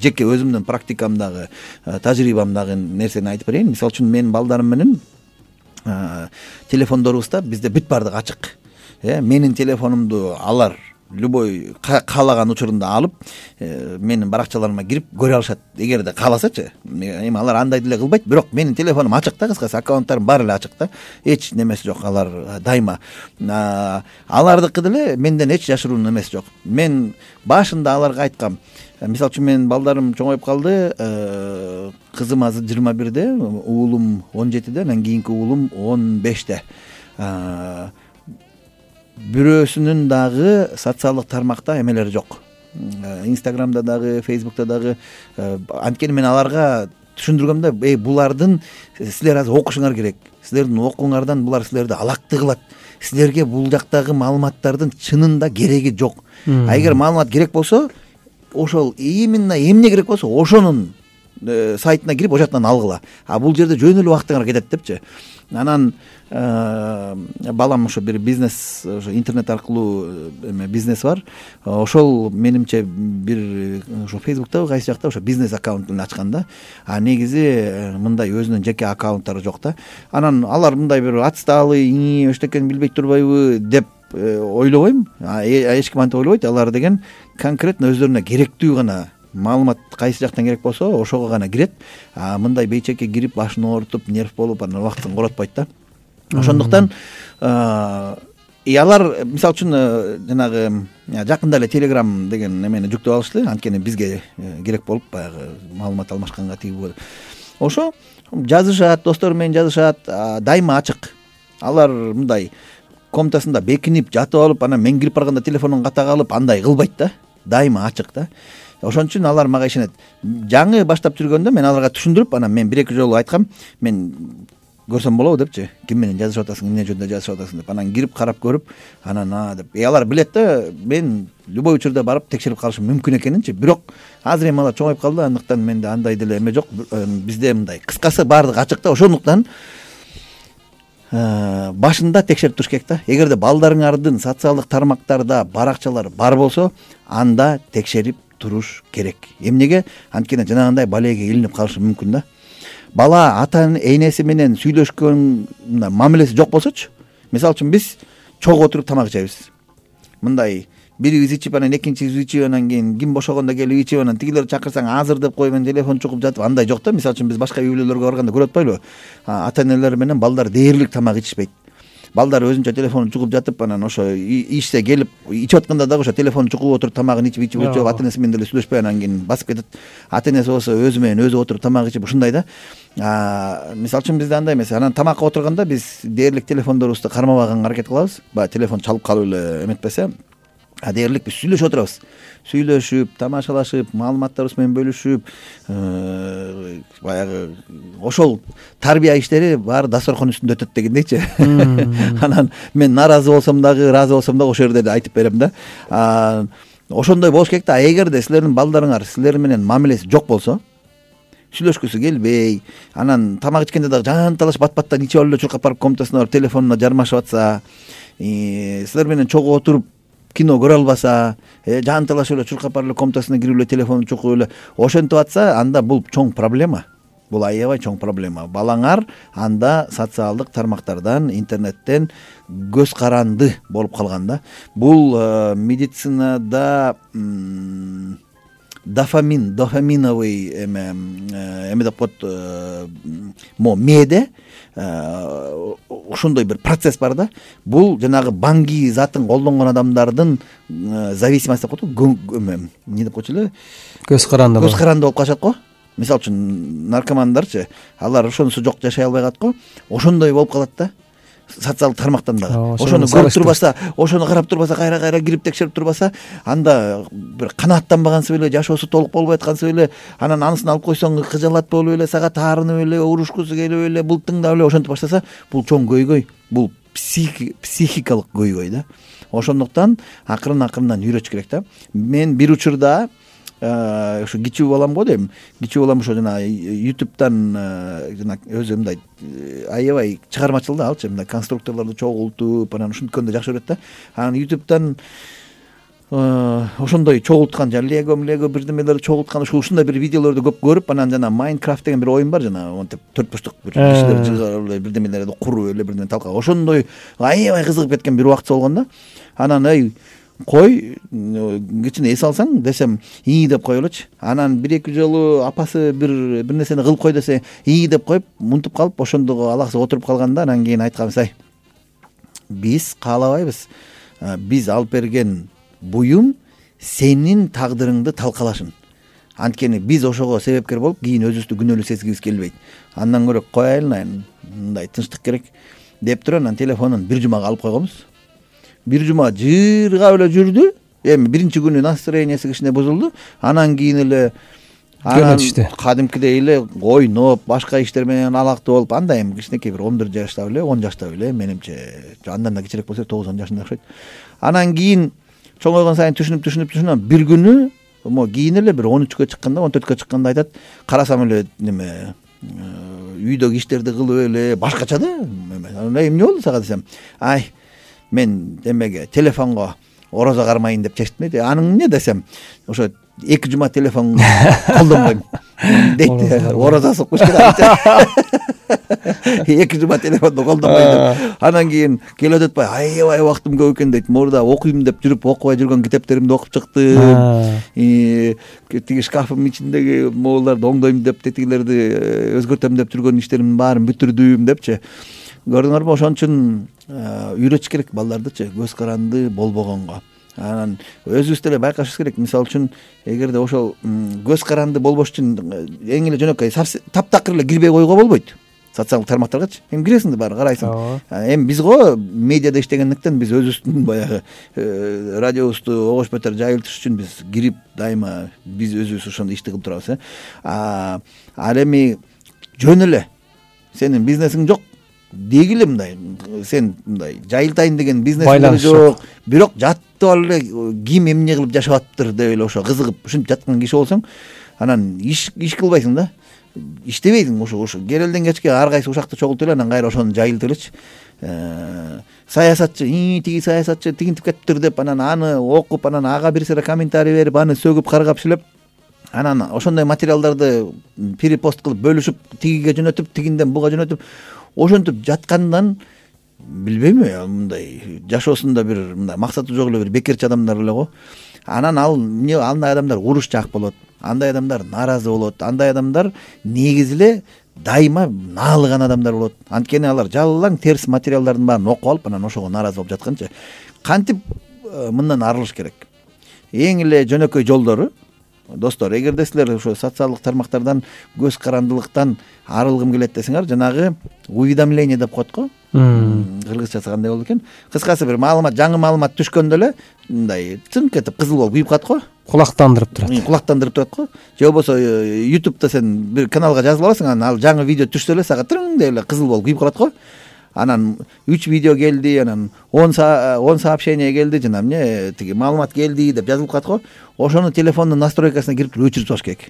жеке өзүмдүн практикамдагы, тажрыйбамдагы нерсени айтып берейин. Мисалы үчүн менин балдарым менен телефондорубузда бизде бүт баардыгы ачык. Э, менин телефонумду алар любой каалаган учурунда алып, менин баракчаларыма кирип көрө алышат, эгерде кааласачы. Эми алар андай деле кылбайт, бирок менин телефонум ачык да, кыскасы аккаунттарым баары эле ачык да. Эч немеси жок, алар дайыма. Алардыкы деле менден эч жашыруун эмеси жок. Мен башында аларга айткам. Мисалы үчүн менин балдарым чоңоюп калды. Кызым азыр жыйырма бирде, уулум он жетиде, анан кийинки уулум он беште. Бирөөсүнүн дагы социалдык тармакта эмелери жок. Инстаграмда дагы, Фейсбукта дагы. Анткени мен аларга түшүндүргөм да, эй, булардын силер азыр окушуңар керек. Силердин окууңардан булар силерди алакты кылат. Силерге бул жактагы маалыматтардын чынында кереги жок. А эгер маалымат керек болсо, ошол именно эмне керек болсо, ошонун сайтына кирип, ошоктон алгыла. А бул жерде жөн эле убактыңар кетет депчи. Анан балам ошо бир бизнес, ошо интернет аркылуу эме бизнес бар. Ошол менимче бир ошо Фейсбуктабы кайсы жакта ошо бизнес аккаунтун ачкан да. А негизи мындай өзүнүн жеке аккаунттары жок да. Анан алар мындай бир отсталый, эчтекени билбей турбайбы деп ойлобойм. Эч ким антип ойлобойт. Алар деген конкретно өздөрүнө керектүү гана маалымат кайсы жактан керек болсо, ошого гана кирет. А мындай бейчекке кирип, башын оорутуп, нерв болуп, анан убактын коротпойт да. Ошондуктан и алар мисалы үчүн жанагы жакында эле Telegram деген немени жүктөп алышты, анткени бизге керек болуп баягы маалымат алмашканга тийип. Ошо жазышат, достору менен жазышат, дайыма ачык. Алар мындай комнатасында бекинип жатып алып, анан мен кирип барганда телефонун катага алып, андай кылбайт да. Дайыма ачык да. Ошон үчүн алар мага ишенет. Жаңы баштап жүргөндө мен аларга түшүндүрүп, анан мен бир эки жолу айткам, мен көрсөм болобу депчи, ким менен жазышып атасың, эмне жөнүндө жазышып атасың деп. Анан кирип карап көрүп, анан а деп. Э алар билет да, мен любой учурда барып текшерип калышым мүмкүн экенинчи. Бирок азыр эми алар чоңоюп калды, андыктан менде андай деле эме жок. Бизде мындай кыскасы баардыгы ачык да. Ошондуктан башында текшерип туруш керек да. Эгерде балдарыңардын социалдык тармактарда баракчалары бар болсо, анда текшерип туруш керек. Эмнеге? Анткени жанагындай балеге илинип калышы мүмкүн да. Бала ата энеси менен сүйлөшкөн мамилеси жок болсочу. Мисалы үчүн биз чогуу отуруп тамак ичебиз. Мындай бирибиз ичип, анан экинчибиз ичип, анан кийин ким бошогондо келип ичип, анан тигилер чакырсаң азыр деп коюп, мен телефон чукуп жатып, андай жок да. Мисалы үчүн биз башка үй бүлөлөргө барганда көрүп атпайлыбы? Ата энелер менен балдар дээрлик тамак ичишпейт. Балдар өзүнчө телефонун чугуп жатып, анан ошо ишсе келип ичип атканда дагы ошо телефонун чугуп отуруп тамагын ичип ичип ичип ата энеси менен деле сүйлөшпөй, анан кийин басып кетет. Ата энеси болсо өзү менен өзү отуруп тамак ичип ушундай да. Мисалы үчүн бизде андай эмес. Анан тамакка отурганда биз дээрлик телефондорубузду кармабаганга аракет кылабыз. Баягы телефон чалып калып эле эметпесе, а дээрлик биз сүйлөшүп отурабыз. Сүйлөшүп, тамашалашып, маалыматтарыбыз менен бөлүшүп, баягы ошол тарбия иштери баары дасторкон үстүндө өтөт дегендейчи. Анан мен наразы болсом дагы, ыраазы болсом дагы ошол жерде айтып берем да. Ошондой болуш керек да. Эгерде силердин балдарыңар силер менен мамилеси жок болсо, сүйлөшкүсү келбей, анан тамак ичкенде дагы жанталаш бат-баттан ичип алып эле чуркап барып комнатасына барып телефонуна жармашып атса, силер менен чогуу отуруп кино көрө албаса, жанталашып эле чуркап барып эле комнатасына кирип эле телефонун чукуп эле ошентип атса, анда бул чоң проблема. Бул аябай чоң проблема. Балаңар анда социалдык тармактардан, интернеттен көз каранды болуп калган да. Бул медицинада дофамин, дофаминовый эме эме деп коет, мо мээде ошондой бир процесс бар да. Бул жанагы банги затын колдонгон адамдардын зависимость деп коет го, эмне деп койчу эле, көз каранды көз каранды болуп калышат го. Мисалы үчүн наркомандарчы, алар ошонусу жок жашай албай калат го. Ошондой болуп калат да. Социалдык тармактан дагы ошону көрүп турбаса, ошону карап турбаса, кайра кайра кирип текшерип турбаса, анда бир канааттанбагансып эле, жашоосу толук болбой аткансып эле, анан анысын алып койсоң кыжалат болуп эле, сага таарынып эле, урушкусу келип эле, бултыңдап эле ошентип баштаса, бул чоң көйгөй, бул психикалык көйгөй да. Ошондуктан акырын акырындан үйрөтүш керек да. Мен бир учурда ошо кичүү балам го дейм, кичүү балам ошо жана ютубтан жана өзү мындай аябай чыгармачыл да алчы, мындай конструкторлорду чогултуп анан ушинткенди жакшы көрөт да. Анан ютубтан ошондой чогулткан жана лего лего бирдемелерди чогулткан ушундай бир видеолорду көп көрүп, анан жана Minecraft деген бир оюн бар, жана монтип төрт бурчтук бир кишилер жыгарып эле бирдемелерди куруп эле бирдеме талкалап, ошондой аябай кызыгып кеткен бир убакыт болгон да. Анан эй кой кичине эс алсаң десем ии деп кое элечи. Анан бир эки жолу апасы бир бир нерсени кылып кой десе ии деп коюп мунтуп калып, ошондого алаксыз отуруп калганда, анан кийин айтканбыз, ай биз каалабайбыз, биз алып берген буюм сенин тагдырыңды талкалашын. Анткени биз ошого себепкер болуп, кийин өзүбүздү күнөөлүү сезгибиз келбейт. Андан көрө коелын, айын мындай тынчтык керек деп туруп, анан телефонун бир жумага алып койгонбуз. Бир жума жыргап эле жүрдү. Эми биринчи күнү настроениясы кичине бузулду. Анан кийин эле анан кадимкидей эле ойноп, башка иштер менен алактуу болуп, анда эми кичинекей бир он бир жашта беле, он жашта беле, менимче андан да кичирээк болсо тогуз он жашында окшойт. Анан кийин чоңойгон сайын түшүнүп түшүнүп түшүнүп бир күнү мо кийин эле бир он үчкө чыкканда, он төрткө чыкканда айтат, карасам эле неме үйдөгү иштерди кылып эле башкача да. Анан эмне болду сага десем, ай мен демеге телефонго орозо кармайын деп чечтим дейт. Аның эмне десем, ошо эки жума телефон колдонбойм дейт. Орозо сукуш керек. Эки жума телефонду колдонбойм деп. Анан кийин келип атпай, аябай убактым көп экен дейт. Мурда окуйм деп жүрүп окубай жүргөн китептеримди окуп чыктым. Тиги шкафым ичиндеги моуларды оңдойм деп, тетигилерди өзгөртөм деп жүргөн иштеримдин баарын бүтүрдүм депчи. Көрдүңөрбү, ошон үчүн үйрөтүш керек балдардычы көз каранды болбогонго. Анан өзүбүз деле байкашыбыз керек. Мисалы үчүн эгерде ошол көз каранды болбош үчүн эң эле жөнөкөй таптакыр эле кирбей койгого болбойт. Социалдык тармактаргачы эми киресиң да баары карайсың. Эми биз го медиада иштегендиктен биз өзүбүздүн баягы радиобузду огош бетер жайылтыш үчүн биз кирип дайыма биз өзүбүз ошондой ишти кылып турабыз. Ал эми жөн эле сенин бизнесиң жок дегиле, мындай сен мындай жайылтайын деген бизнесиң жок, бирок жатып эле ким эмне кылып жашап атыптыр деп эле ошо кызыгып ушинтип жаткан киши болсоң, анан иш иш кылбайсың да, иштебейсиң. Ошо ошо керелден кечке ар кайсы ушакты чогултуп эле анан кайра ошону жайылтып элечи. Саясатчы ии тиги саясатчы тигинтип кетиптир деп анан аны окуп, анан ага бир сыйра комментарий берип, аны сөгүп каргап шилеп, анан ошондой материалдарды перепост кылып бөлүшүп, тигиге жөнөтүп, тигинден буга жөнөтүп, ошентип жаткандан билбейм, мындай жашоосунда бир мындай максаты жок эле бир бекерчи адамдар эле го. Анан ал эмне, андай адамдар урушчаак болот, андай адамдар нааразы болот, андай адамдар негизи эле дайыма наалыган адамдар болот. Анткени алар жалаң терс материалдардын баарын окуп алып, анан ошого нааразы болуп жатканчы. Кантип мындан арылыш керек? Эң эле жөнөкөй жолдору, достор, эгерде силер ошо социалдык тармактардан көз карандылыктан арылгым келет десеңер, жанагы уведомление деп коет го. Кыргызчасы кандай болду экен? Кыскасы бир маалымат, жаңы маалымат түшкөндө эле мындай цынк этип кызыл болуп күйүп калат го. Кулактандырып турат. Кулактандырып турат го. Же болбосо ютубта сен бир каналга жазып аласың, анан ал жаңы видео түшсө эле сага тырың деп эле кызыл болуп күйүп калат го. Анан үч видео келди, анан он сообщение келди, жана эмне тиги маалымат келди деп жазылып калат го. Ошону телефондун настройкасына кирип өчүрүп салыш керек.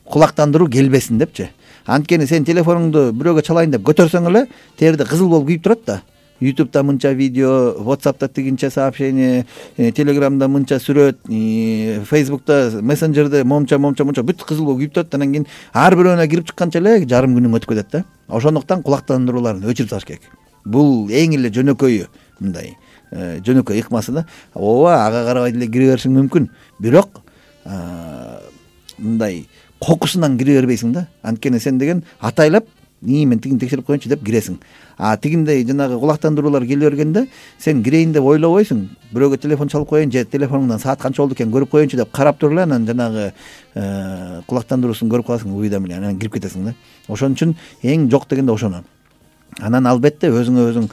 Кулактандыруу келбесин депчи. Анткени сен телефонуңду бирөөгө чалайын деп көтөрсөң эле терде кызыл болуп күйүп турат да. ютубта мынча видео, WhatsApp'та тигинче сообщение, Telegram'да мынча сүрөт, Facebook'та, мессенджерде момча момча момча бүт кызыл болуп күйүп турат. Анан кийин ар бирөөнө кирип чыкканча эле жарым күнүң өтүп кетет да. Ошондуктан кулактандырууларын өчүрүп салыш керек. Бул эң эле жөнөкөйү, мындай жөнөкөй ыкмасы да. Ооба, ага карабай деле кире беришиң мүмкүн. Бирок мындай кокусунан кире бербейсиң да. Анткени сен деген атайлап ии мен тигин текшерип коеюнчу деп киресиң. А тигиндей жанагы кулактандыруулар келе бергенде сен кирейин деп ойлобойсуң, бирөөгө телефон чалып коеюн же телефонуңдан саат канча болду экен көрүп коеюнчу деп карап туруп эле анан жанагы кулактандыруусун көрүп каласың уйдам эле, анан кирип кетесиң да. Ошон үчүн эң жок дегенде ошону. Анан албетте өзүңө өзүң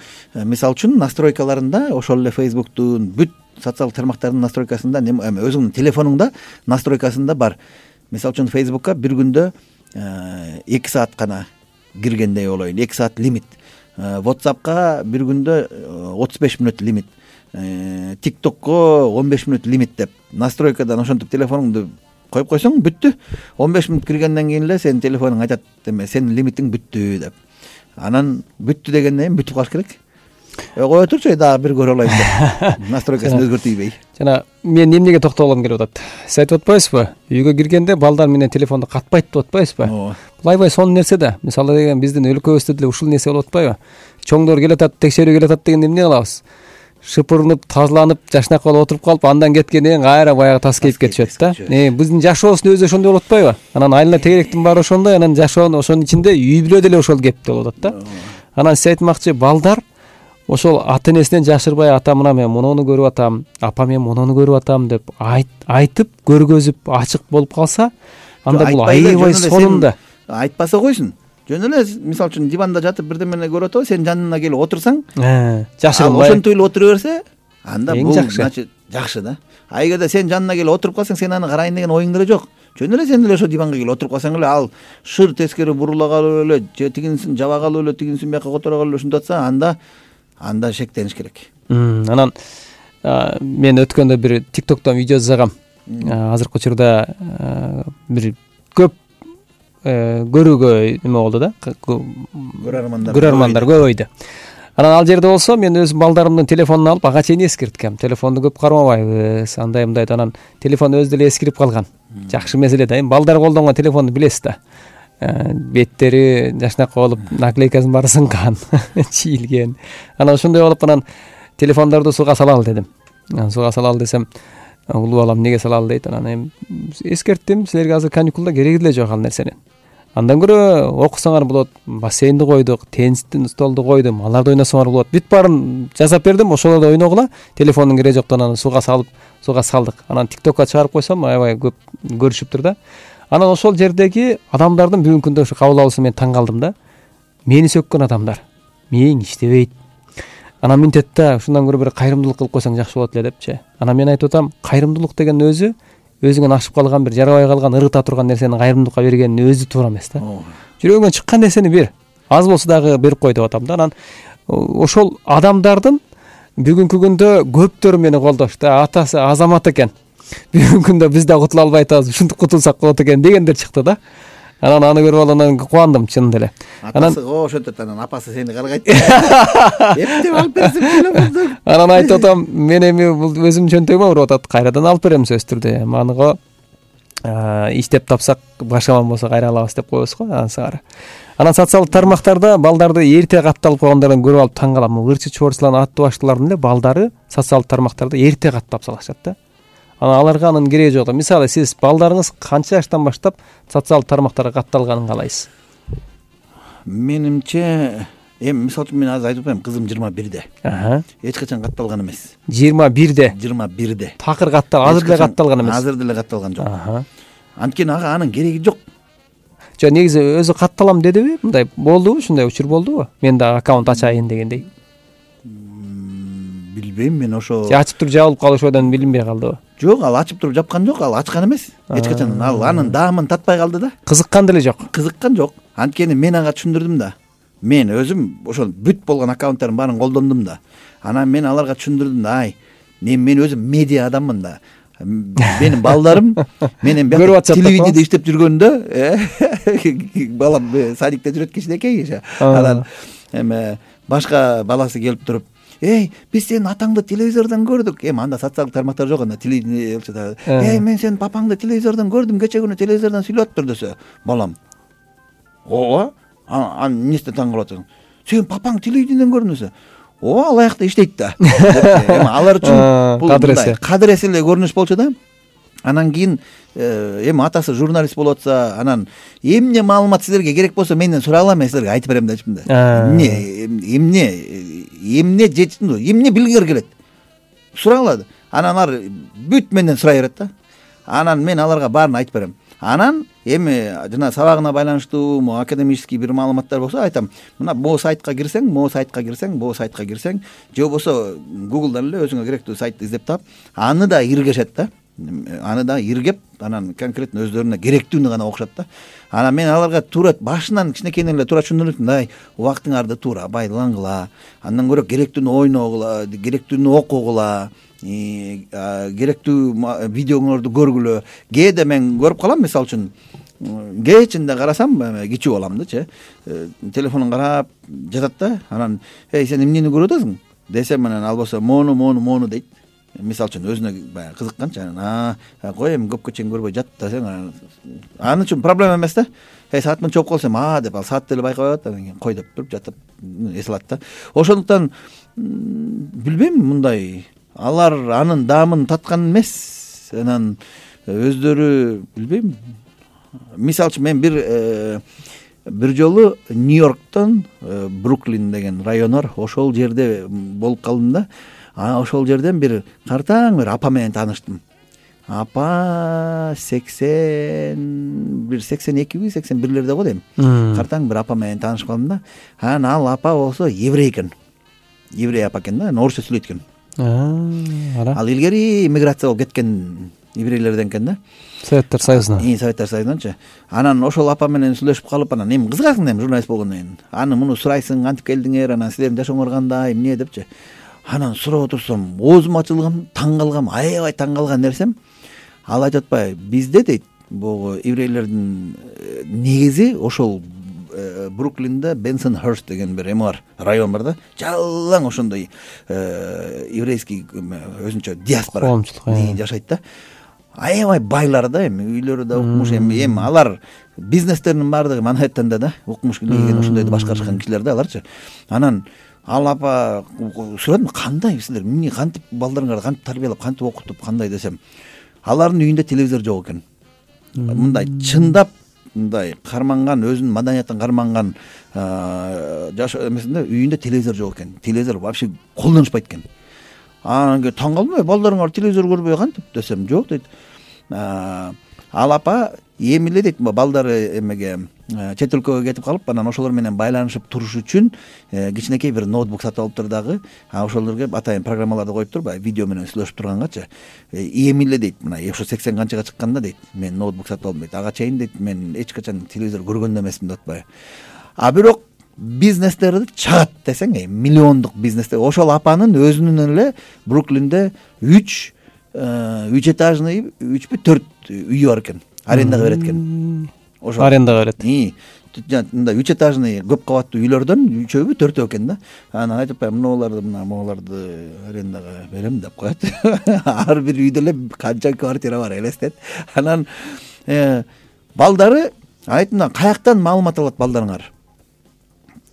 мисалы үчүн настройкаларында ошол эле Facebook'тун бүт социалдык тармактардын настройкасында өзүңдүн телефонуңда настройкасында бар. Мисалы үчүн Facebook'ка бир күндө эки саат гана киргендей болоюн, эки саат лимит. WhatsApp'ка бир күндө отуз беш мүнөт лимит. TikTok'ко он беш мүнөт лимит деп настройкадан ошентип телефонуңду коюп койсоң бүттү. он беш мүнөт киргенден кийин эле сенин телефонуң айтат, эме сенин лимитиң бүттү деп. Анан бүттү дегенден кийин бүтүп калыш керек. Кое турчу дагы бир көрө алайын деп. Настройкасын өзгөртүйбөй. Жана мен эмнеге токтолгум келип атат. Сиз айтып атпайсызбы? Үйгө киргенде балдар менен телефонду катпайт деп атпайсызбы? Бул аябай сонун нерсе да. Мисалы деген биздин өлкөбүздө деле ушул нерсе болуп атпайбы? Чоңдор келатат, текшерүү келатат дегенде эмне кылабыз? Шыпырынып, тазаланып, жашнак болуп отуруп калып, андан кеткенден кийин кайра баягы тас кейип кетишет да. Э, биздин жашообуздун өзү ошондой болуп атпайбы? Анан айылда тегеректин баары ошондой, анан жашоонун ошонун ичинде үй бүлө деле ошол кепте болуп атат да. Анан сиз айтмакчы, балдар ошол ата энесинен жашырбай, ата мына мен мунуну көрүп атам, апа мен мунуну көрүп атам деп айтып, көргөзүп, ачык болуп калса, анда бул аябай сонун да. Айтпаса койсун. Жөн эле мисалы үчүн диванда жатып бирдемени көрүп атабы, сен жанына келип отурсаң, жашырбай ошентип эле отура берсе, анда бул значит жакшы да. А эгерде сен жанына келип отуруп калсаң, сен аны карайын деген оюң деле жок. Жөн эле сен эле ошо диванга келип отуруп калсаң эле, ал шыр тескери бурула калып эле, же тигинсин жаба калып эле, тигинсин бияка которо калып эле ушинтип атса, анда анда шектениш керек. Анан мен өткөндө бир TikTok'тон видео жасагам. Азыркы учурда бир көп көрүүгө эме болду да. Көрөрмандар көрөрмандар көбөйдү. Анан ал жерде болсо мен өз балдарымдын телефонун алып ага чейин эскерткем. Телефонду көп кармабайбыз, андай мындай анан телефон өзү деле эскирип калган. Жакшы меселе да. Эми балдар колдонгон телефонду билесиз да. Беттери жашнак болуп, наклейкасын баары сынган, чийилген. Анан ошондой болуп анан телефондорду сууга салалы дедим. Анан сууга салалы десем, улуу балам эмнеге салалы дейт. Анан эми эскерттим, силерге азыр каникулда кереги деле жок ал нерсенин. Андан көрө окусаңар болот, бассейнди койдук, теннистин столду койдум, аларды ойносоңор болот. Бүт баарын жасап бердим, ошолорду ойногула. Телефондун кереги жоктон анан сууга салып, сууга салдык. Анан TikTok'ка чыгарып койсом, аябай көп көрүшүптүр да. Анан ошол жердеги адамдардын бүгүнкү күндө ушу кабыл алуусун мен таң калдым да. Мени сөккөн адамдар. Мээң иштебейт. Анан минтетте ушундан көрө бир кайрымдуулук кылып койсоң жакшы болот эле депчи. Анан мен айтып атам, кайрымдуулук деген өзү өзүңөн ашып калган бир жарабай калган, ырыта турган нерсени кайрымдуулукка бергенин өзү туура эмес да. Жүрөгүңөн чыккан нерсени бер. Аз болсо дагы берип кой деп атам да. Анан ошол адамдардын бүгүнкү күндө көптөрү мени колдош да. Атасы азамат экен. Бүгүнкү күндө биз да кутула албай атабыз, ушинтип кутулсак болот экен дегендер чыкты да. Анан аны көрүп алып анан кубандым чынында эле. Атасы ошентет, анан апасы сени каргайт. Эптеп алып берсем телефонду. Анан айтып атам, мен эми бул өзүм чөнтөгүмө уруп атат, кайрадан алып берем сөзсүз түрдө. Маныго иштеп тапсак, башкаман болсо кайра алабыз деп коебуз го ансыгары. Анан социалдык тармактарда балдарды эрте катталып койгондорун көрүп алып таң калам. Ырчы чубарчылардын аттуу баштуулардын эле балдары социалдык тармактарда эрте каттап салышат да. Анан аларга анын кереги жок. Мисалы сиз балдарыңыз канча жаштан баштап социалдык тармактарга катталганын каалайсыз? Менимче, эми мисалы үчүн мен азыр айтып атам, кызым жыйырма бирде. Эч качан катталган эмес. жыйырма бирде. жыйырма бирде. Такыр каттал, азыр деле катталган эмес. Азыр деле катталган жок. Анткени ага анын кереги жок. Жок, негизи өзү катталам дедиби? Мындай болдубу? Ушундай учур болдубу? Мен да аккаунт ачайын дегендей. Билбейм мен ошо. Ачып туруп жабылып калышудан билинбей калдыбы? Жок, ал ачып туруп жапкан жок, ал ачкан эмес. Эч качан ал анын даамын татпай калды да. Кызыккан деле жок. Кызыккан жок. Анткени мен ага түшүндүрдүм да. Мен өзүм ошол бүт болгон аккаунттардын баарын колдондум да. Анан мен аларга түшүндүрдүм да, ай, мен мен өзүм медиа адаммын да. Менин балдарым менен бияка телевидениеде иштеп жүргөндө, балам садикте жүрөт кичинекей. Анан эме башка баласы келип туруп, эй, биз сенин атаңды телевизордон көрдүк. Эми анда социалдык тармактар жок, анда телевидение болчу. Эй, мен сенин папаңды телевизордон көрдүм, кече күнү телевизордон сүйлөп атыптыр десе, балам, ооба, аны эмнесине таң калып атасың? Сенин папаң телевидениеден көрдүм десе, ооба, ал аякта иштейт да. Эми алар үчүн бул кадыр эсе эле көрүнүш болчу да. Анан кийин эми атасы журналист болуп атса, анан эмне маалымат силерге керек болсо менден сурагыла, мен силерге айтып берем депчимин да. Эмне эмне эмне жетсин, эмне билгиңер келет, сурагыла. Анан алар бүт менден сурай берет да. Анан мен аларга баарын айтып берем. Анан эми жана сабагына байланыштуу могу академический бир маалыматтар болсо айтам. Мына могу сайтка кирсең, могу сайтка кирсең, могу сайтка кирсең, же болбосо Google'дан эле өзүңө керектүү сайтты издеп таап, аны да иргешет да. Аны да иргеп, анан конкретно өздөрүнө керектүүнү гана окушат да. Анан мен аларга туура башынан кичинекейден эле туура түшүндүрөм, мындай убактыңарды туура байлангыла, андан көрө керектүүнү ойногула, керектүүнү окугула, керектүү видеоңорду көргүлө. Кээде мен көрүп калам, мисалы үчүн кечинде карасам, кичүү баламдычы, телефонун карап жатат да. Анан эй сен эмнени көрүп атасың десем, анан албаса мону мону мону дейт. Мисалы үчүн өзүнө баягы кызыкканчы, анан а кой эми көпкө чейин көрбөй жат десең, аны үчүн проблема эмес да. Эй саатмын чоп калсам, а деп ал саатты эле байкабай атат, анан кийин кой деп туруп жатып эс алат да. Ошондуктан билбейм, мындай алар анын даамын таткан эмес. Анан өздөрү билбейм. Мисалы үчүн мен бир бир жолу Нью-Йорктон Бруклин деген район бар, ошол жерде болуп калдым да. А ошол жерден бир картаң бир апа менен тааныштым. Апа сексен бир сексен экиби сексен бирлерде го дейм. Картаң бир апа менен таанышып калдым да. Анан ал апа болсо еврей экен. Еврей апа экен да, орусча сүйлөйт экен. Ал илгери иммиграция болуп кеткен еврейлерден экен да. Советтер Союзунан. И Советтер Союзунанчы. Анан ошол апа менен сүйлөшүп калып, анан эми кызыгасың эми журналист болгондон кийин. Аны муну сурайсың, кантип келдиңер, анан силердин жашооңор кандай, эмне депчи. Анан сурап отурсам, оозум ачылган, таң калгам, аябай таң калган нерсем, ал айтып атпайбы, бизде дейт, бул еврейлердин негизи ошол Бруклинде Бенсон-Херст деген бир эме бар, район бар да, жалаң ошондой еврейский өзүнчө диаспора жашайт да. Аябай байлар да, эми үйлөрү да укмуш, эми эми алар бизнестеринин баардыгы Манхэттенде да, укмуш келген ошондойду башкарышкан кишилер да аларчы. Анан ал апа сурадым, кандай силер эмне кантип балдарыңарды кантип тарбиялап, кантип окутуп, кандай десем, алардын үйүндө телевизор жок экен. Мындай чындап мындай карманган, өзүнүн маданиятын карманган жаш эмесинде үйүндө телевизор жок экен. Телевизор вообще колдонушпайт экен. Анан таң калдым, балдарыңар телевизор көрбөй кантип десем, жок дейт. Ал апа эми эле дейт, балдары эмеге чет өлкөгө кетип калып, анан ошолор менен байланышып туруш үчүн кичинекей бир ноутбук сатып алыптыр дагы. А ошолорго атайын программаларды коюптур, баягы видео менен сүйлөшүп тургангачы. Эми эле дейт, мына ошо сексен канчага чыкканда дейт, мен ноутбук сатып алдым дейт. Ага чейин дейт, мен эч качан телевизор көргөн да эмесмин деп атпайбы. А бирок бизнестерди чагат десең, миллиондук бизнестер. Ошол апанын өзүнүн эле Бруклинде үч үч этажный, үчпү төрт үйү бар экен. Арендага берет экен. Ошо арендага берет. Мындай үч этажный көп кабаттуу үйлөрдөн үчөөбү төртөө экен да. Анан айтып атпайбы, мыналарды мына могаларды арендага берем деп коет. Ар бир үйдө эле канча квартира бар элестет. Анан балдары айтымдан каяктан маалымат алат балдарыңар?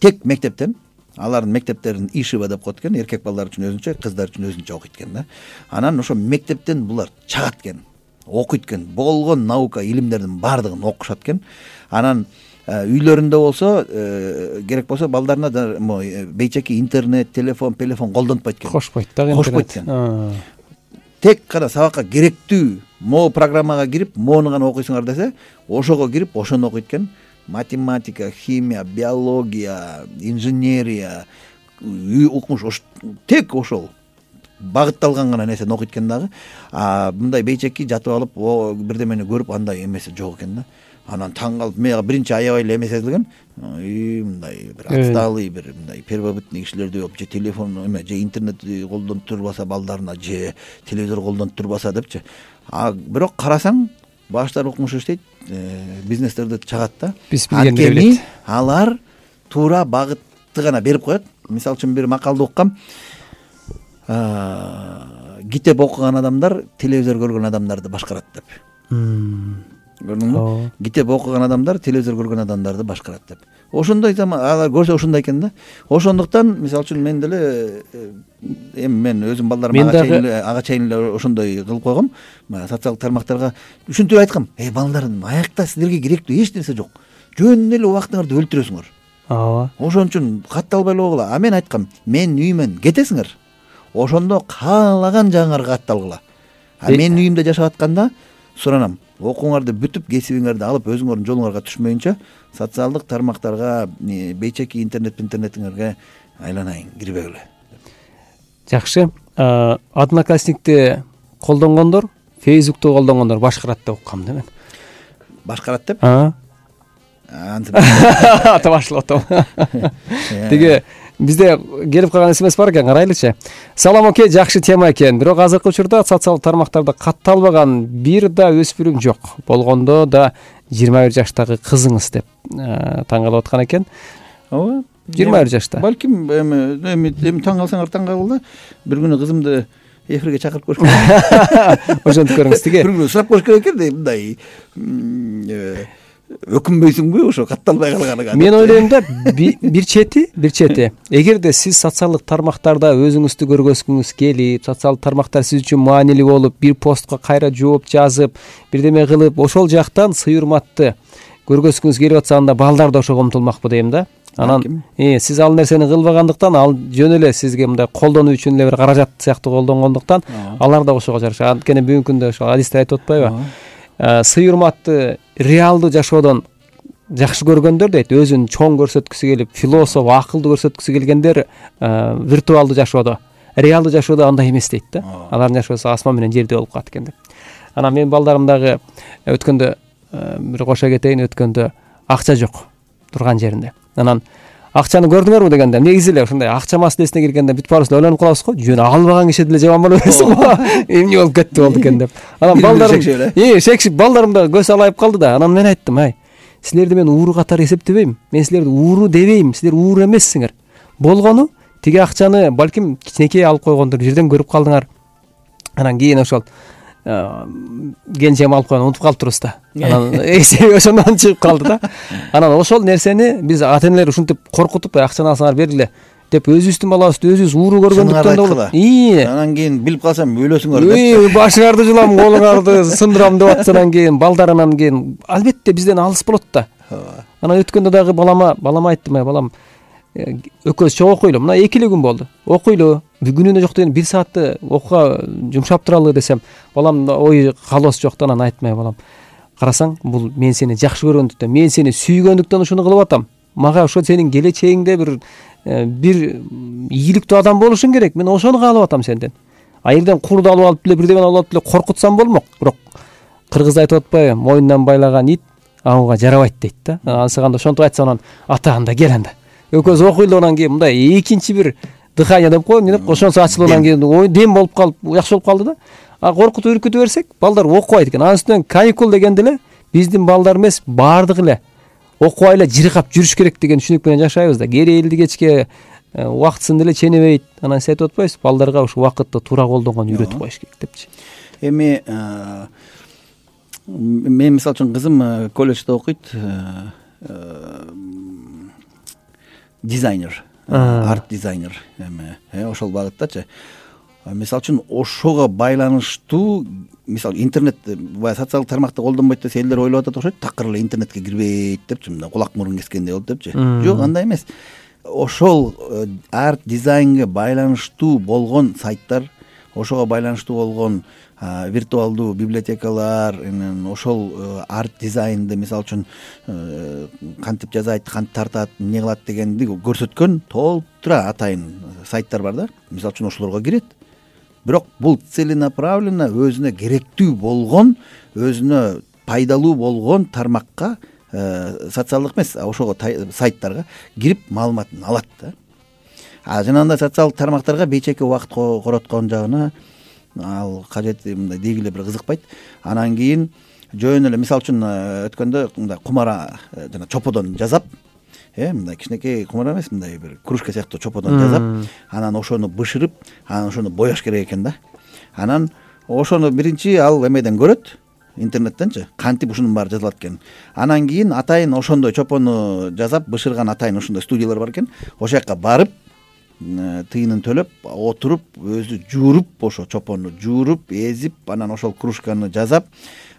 Тек мектептен. Алардын мектептерин ишиба деп коет экен, эркек балдар үчүн өзүнчө, кыздар үчүн өзүнчө окуйт экен да. Анан ошо мектептен булар чагат экен, окуйт экен, болгон наука илимдердин баардыгын окушат экен. Анан үйлөрүндө болсо керек болсо балдарына бейчеки интернет, телефон, телефон колдонтпайт экен. Кошпойт да, интернет. Кошпойт экен. Тек гана сабакка керектүү могу программага кирип, мону гана окуйсуңар десе, ошого кирип, ошону окуйт экен. Математика, химия, биология, инженерия, укмуш, тек ошол багытталган гана нерсени окуйт экен дагы. А мындай бейчеки жатып алып, бирдемени көрүп, андай эмеси жок экен да. Анан таң калып, мага биринчи аябай эле эме сезилген, мындай бир отсталый, бир мындай первобытный кишилерди же телефон эме, же интернет колдонуп турбаса балдарына, же телевизор колдонуп турбаса депчи. А бирок карасаң, баштары укмуш иштейт, бизнестерди чагат да. Анткени алар туура багытты гана берип коет. Мисалы үчүн бир макалды уккам. Китеп окуган адамдар телевизор көргөн адамдарды башкарат деп. көрдүңбү? Китеп окуган адамдар телевизор көргөн адамдарды башкарат деп. Ошондой алар көрсө ошондой экен да. Ошондуктан мисалы үчүн мен деле эми мен өзүм балдарыма ага чейин эле ага чейин эле ошондой кылып койгом. Социалдык тармактарга ушинтип айткам: "Эй балдарым, аякта силерге керектүү эч нерсе жок. Жөн эле убактыңарды өлтүрөсүңөр. Ооба. Ошон үчүн катталбай эле койгула." А мен айткам: "Мен үйүмөн кетесиңер. Ошондо каалаган жагыңарга катталгыла. А мен үйүмдө жашап атканда суранам: окууңарды бүтүп, кесибиңерди алып, өзүңөрдүн жолуңарга түшмөйүнчө социалдык тармактарга, бейчеки интернет интернетиңерге айланайын, кирбегиле." Жакшы. Одноклассникти колдонгондор, Facebook'tu колдонгондор башкарат деп уккам да мен. Башкарат деп? Ата башлап атам. Тиги бизде келип калган смс бар экен, карайлычы. Салам оке, жакшы тема экен. Бирок азыркы учурда социалдык тармактарда катталбаган бир да өспүрүм жок. Болгондо да жыйырма бир жаштагы кызыңыз деп таң калып аткан экен. Ооба. жыйырма бир жашта. Балким эми эми эми таң калсаңар таң кал да. Бир күнү кызымды эфирге чакырып көрүш керек. Ошентип көрүңүз тиги. Бир күнү сурап көрүш керек экен, мындай өкүнбөйсүңбү ошо катталбай калганыңа? Мен ойлойм да, бир чети, бир чети. Эгерде сиз социалдык тармактарда өзүңүздү көргөзгүңүз келип, социалдык тармактар сиз үчүн маанилүү болуп, бир постко кайра жооп жазып, бирдеме кылып, ошол жактан сый урматты көргөзгүңүз келип атса, анда балдар да ошого умтулмакпы дейм да. Анан сиз ал нерсени кылбагандыктан, ал жөн эле сизге мындай колдонуу үчүн эле бир каражат сыяктуу колдонгондуктан, алар да ошого жараша. Анткени бүгүнкү күндө ошо адисте айтып атпайбы? Сый урматты реалдуу жашоодон жакшы көргөндөр дейт, өзүн чоң көрсөткүсү келип, философ, акылдуу көрсөткүсү келгендер виртуалдуу жашоодо, реалдуу жашоодо андай эмес дейт да. Алардын жашоосу асман менен жердей болуп калат экен деп. Анан мен балдарым дагы өткөндө бир кошо кетейин, өткөндө акча жок турган жеринде. Анан акчаны көрдүңөрбү дегенде, негизи эле ушундай акча маселесине келгенде бүт баарыбыз ойлонуп калабыз го. Жөн албаган киши деле жаман боло берсин го. Эмне болуп кетти болду экен деп. Анан балдарым, э, шекшип балдарым да көз алайып калды да. Анан мен айттым: "Ай, силерди мен ууру катары эсептебейм. Мен силерди ууру дебейм. Силер ууру эмессиңер. Болгону тиги акчаны балким кичинекей алып койгондор, жерден көрүп калдыңар. Анан кийин ошол кенжем алып койгон унутуп калыптырбыз да. Анан эсеби ошондон чыгып калды да. Анан ошол нерсени биз ата-энелер ушинтип коркутуп, акчаны алсаңар бергиле деп өзүбүздүн балабызды өзүбүз ууру көргөндүктөн да болот. Анан кийин билип калсам өлөсүңөр деп. Башыңарды жулам, колуңарды сындырам деп атса, анан кийин балдарынан кийин албетте бизден алыс болот да. Анан өткөндө дагы балама, балама айттым: "Ай балам, экөөбүз чогуу окуйлу. Мына эки эле күн болду. Окуйлу. Күнүнө жок деген бир саатты окууга жумшап туралы" десем, балам ой калоосу жок да. Анан айттым: "Ай балам, карасаң, бул мен сени жакшы көргөндүктөн, мен сени сүйгөндүктөн ушуну кылып атам. Мага ошо сенин келечегиңде бир бир ийгиликтүү адам болушуң керек. Мен ошону каалап атам сенден. Айылдан курду алып алып эле, бирдемени алып алып эле коркутсам болмок. Бирок кыргызда айтып атпайбы, моюндан байлаган ит аңуга жарабайт" дейт да. Ансыганда ошентип айтса, анан ата анда кел анда. Экөөбүз окуйлу, анан кийин мындай экинчи бир дыхание деп коем, деп ошонсу ачылып, анан кийин ой дем болуп калып, жакшы болуп калды да. А коркутуп үркүтүп берсек, балдар окубайт экен. Анын үстүнөн каникул дегенде эле биздин балдар эмес, баардыгы эле окубай эле жыркап жүрүш керек деген түшүнүк менен жашайбыз да. Кереэлди кечке убактысын деле ченебейт. Анан сиз айтып атпайсызбы, балдарга ушу убакытты туура колдонгонду үйрөтүп коюш керек депчи. Эми мен мисалы үчүн кызым колледжде окуйт, дизайнер, арт дизайнер, эми ошол багыттачы. Мисалы үчүн ошого байланыштуу, мисалы интернет баягы социалдык тармакты колдонбойт десе элдер ойлоп атат окшойт, такыр эле интернетке кирбейт депчи, мындай кулак мурун кескендей болуп депчи. Жок, андай эмес. Ошол арт дизайнге байланыштуу болгон сайттар, ошого байланыштуу болгон виртуалдуу библиотекалар, ошол арт дизайнды мисалы үчүн кантип жасайт, кантип тартат, эмне кылат дегенди көрсөткөн толтура атайын сайттар бар да. Мисалы үчүн ошолорго кирет. Бирок бул целенаправленно өзүнө керектүү болгон, өзүнө пайдалуу болгон тармакка, социалдык эмес, ошого сайттарга кирип маалыматын алат да. А жанагындай социалдык тармактарга бейчеки убакыт короткон жагына ал кажет мындай дегиле бир кызыкпайт. Анан кийин жөн эле мисалы үчүн өткөндө мындай кумара жана чоподон жасап, э мындай кичинекей кумара эмес, мындай бир кружка сыяктуу чоподон жасап, анан ошону бышырып, анан ошону бояш керек экен да. Анан ошону биринчи ал эмеден көрөт, интернеттенчи кантип ушунун баары жазылат экен. Анан кийин атайын ошондой чопону жасап бышырган атайын ошондой студиялар бар экен. Ошол жака барып тыйынын төлөп отуруп өзү жууруп, ошо чопонду жууруп, эзип, анан ошол кружканы жасап,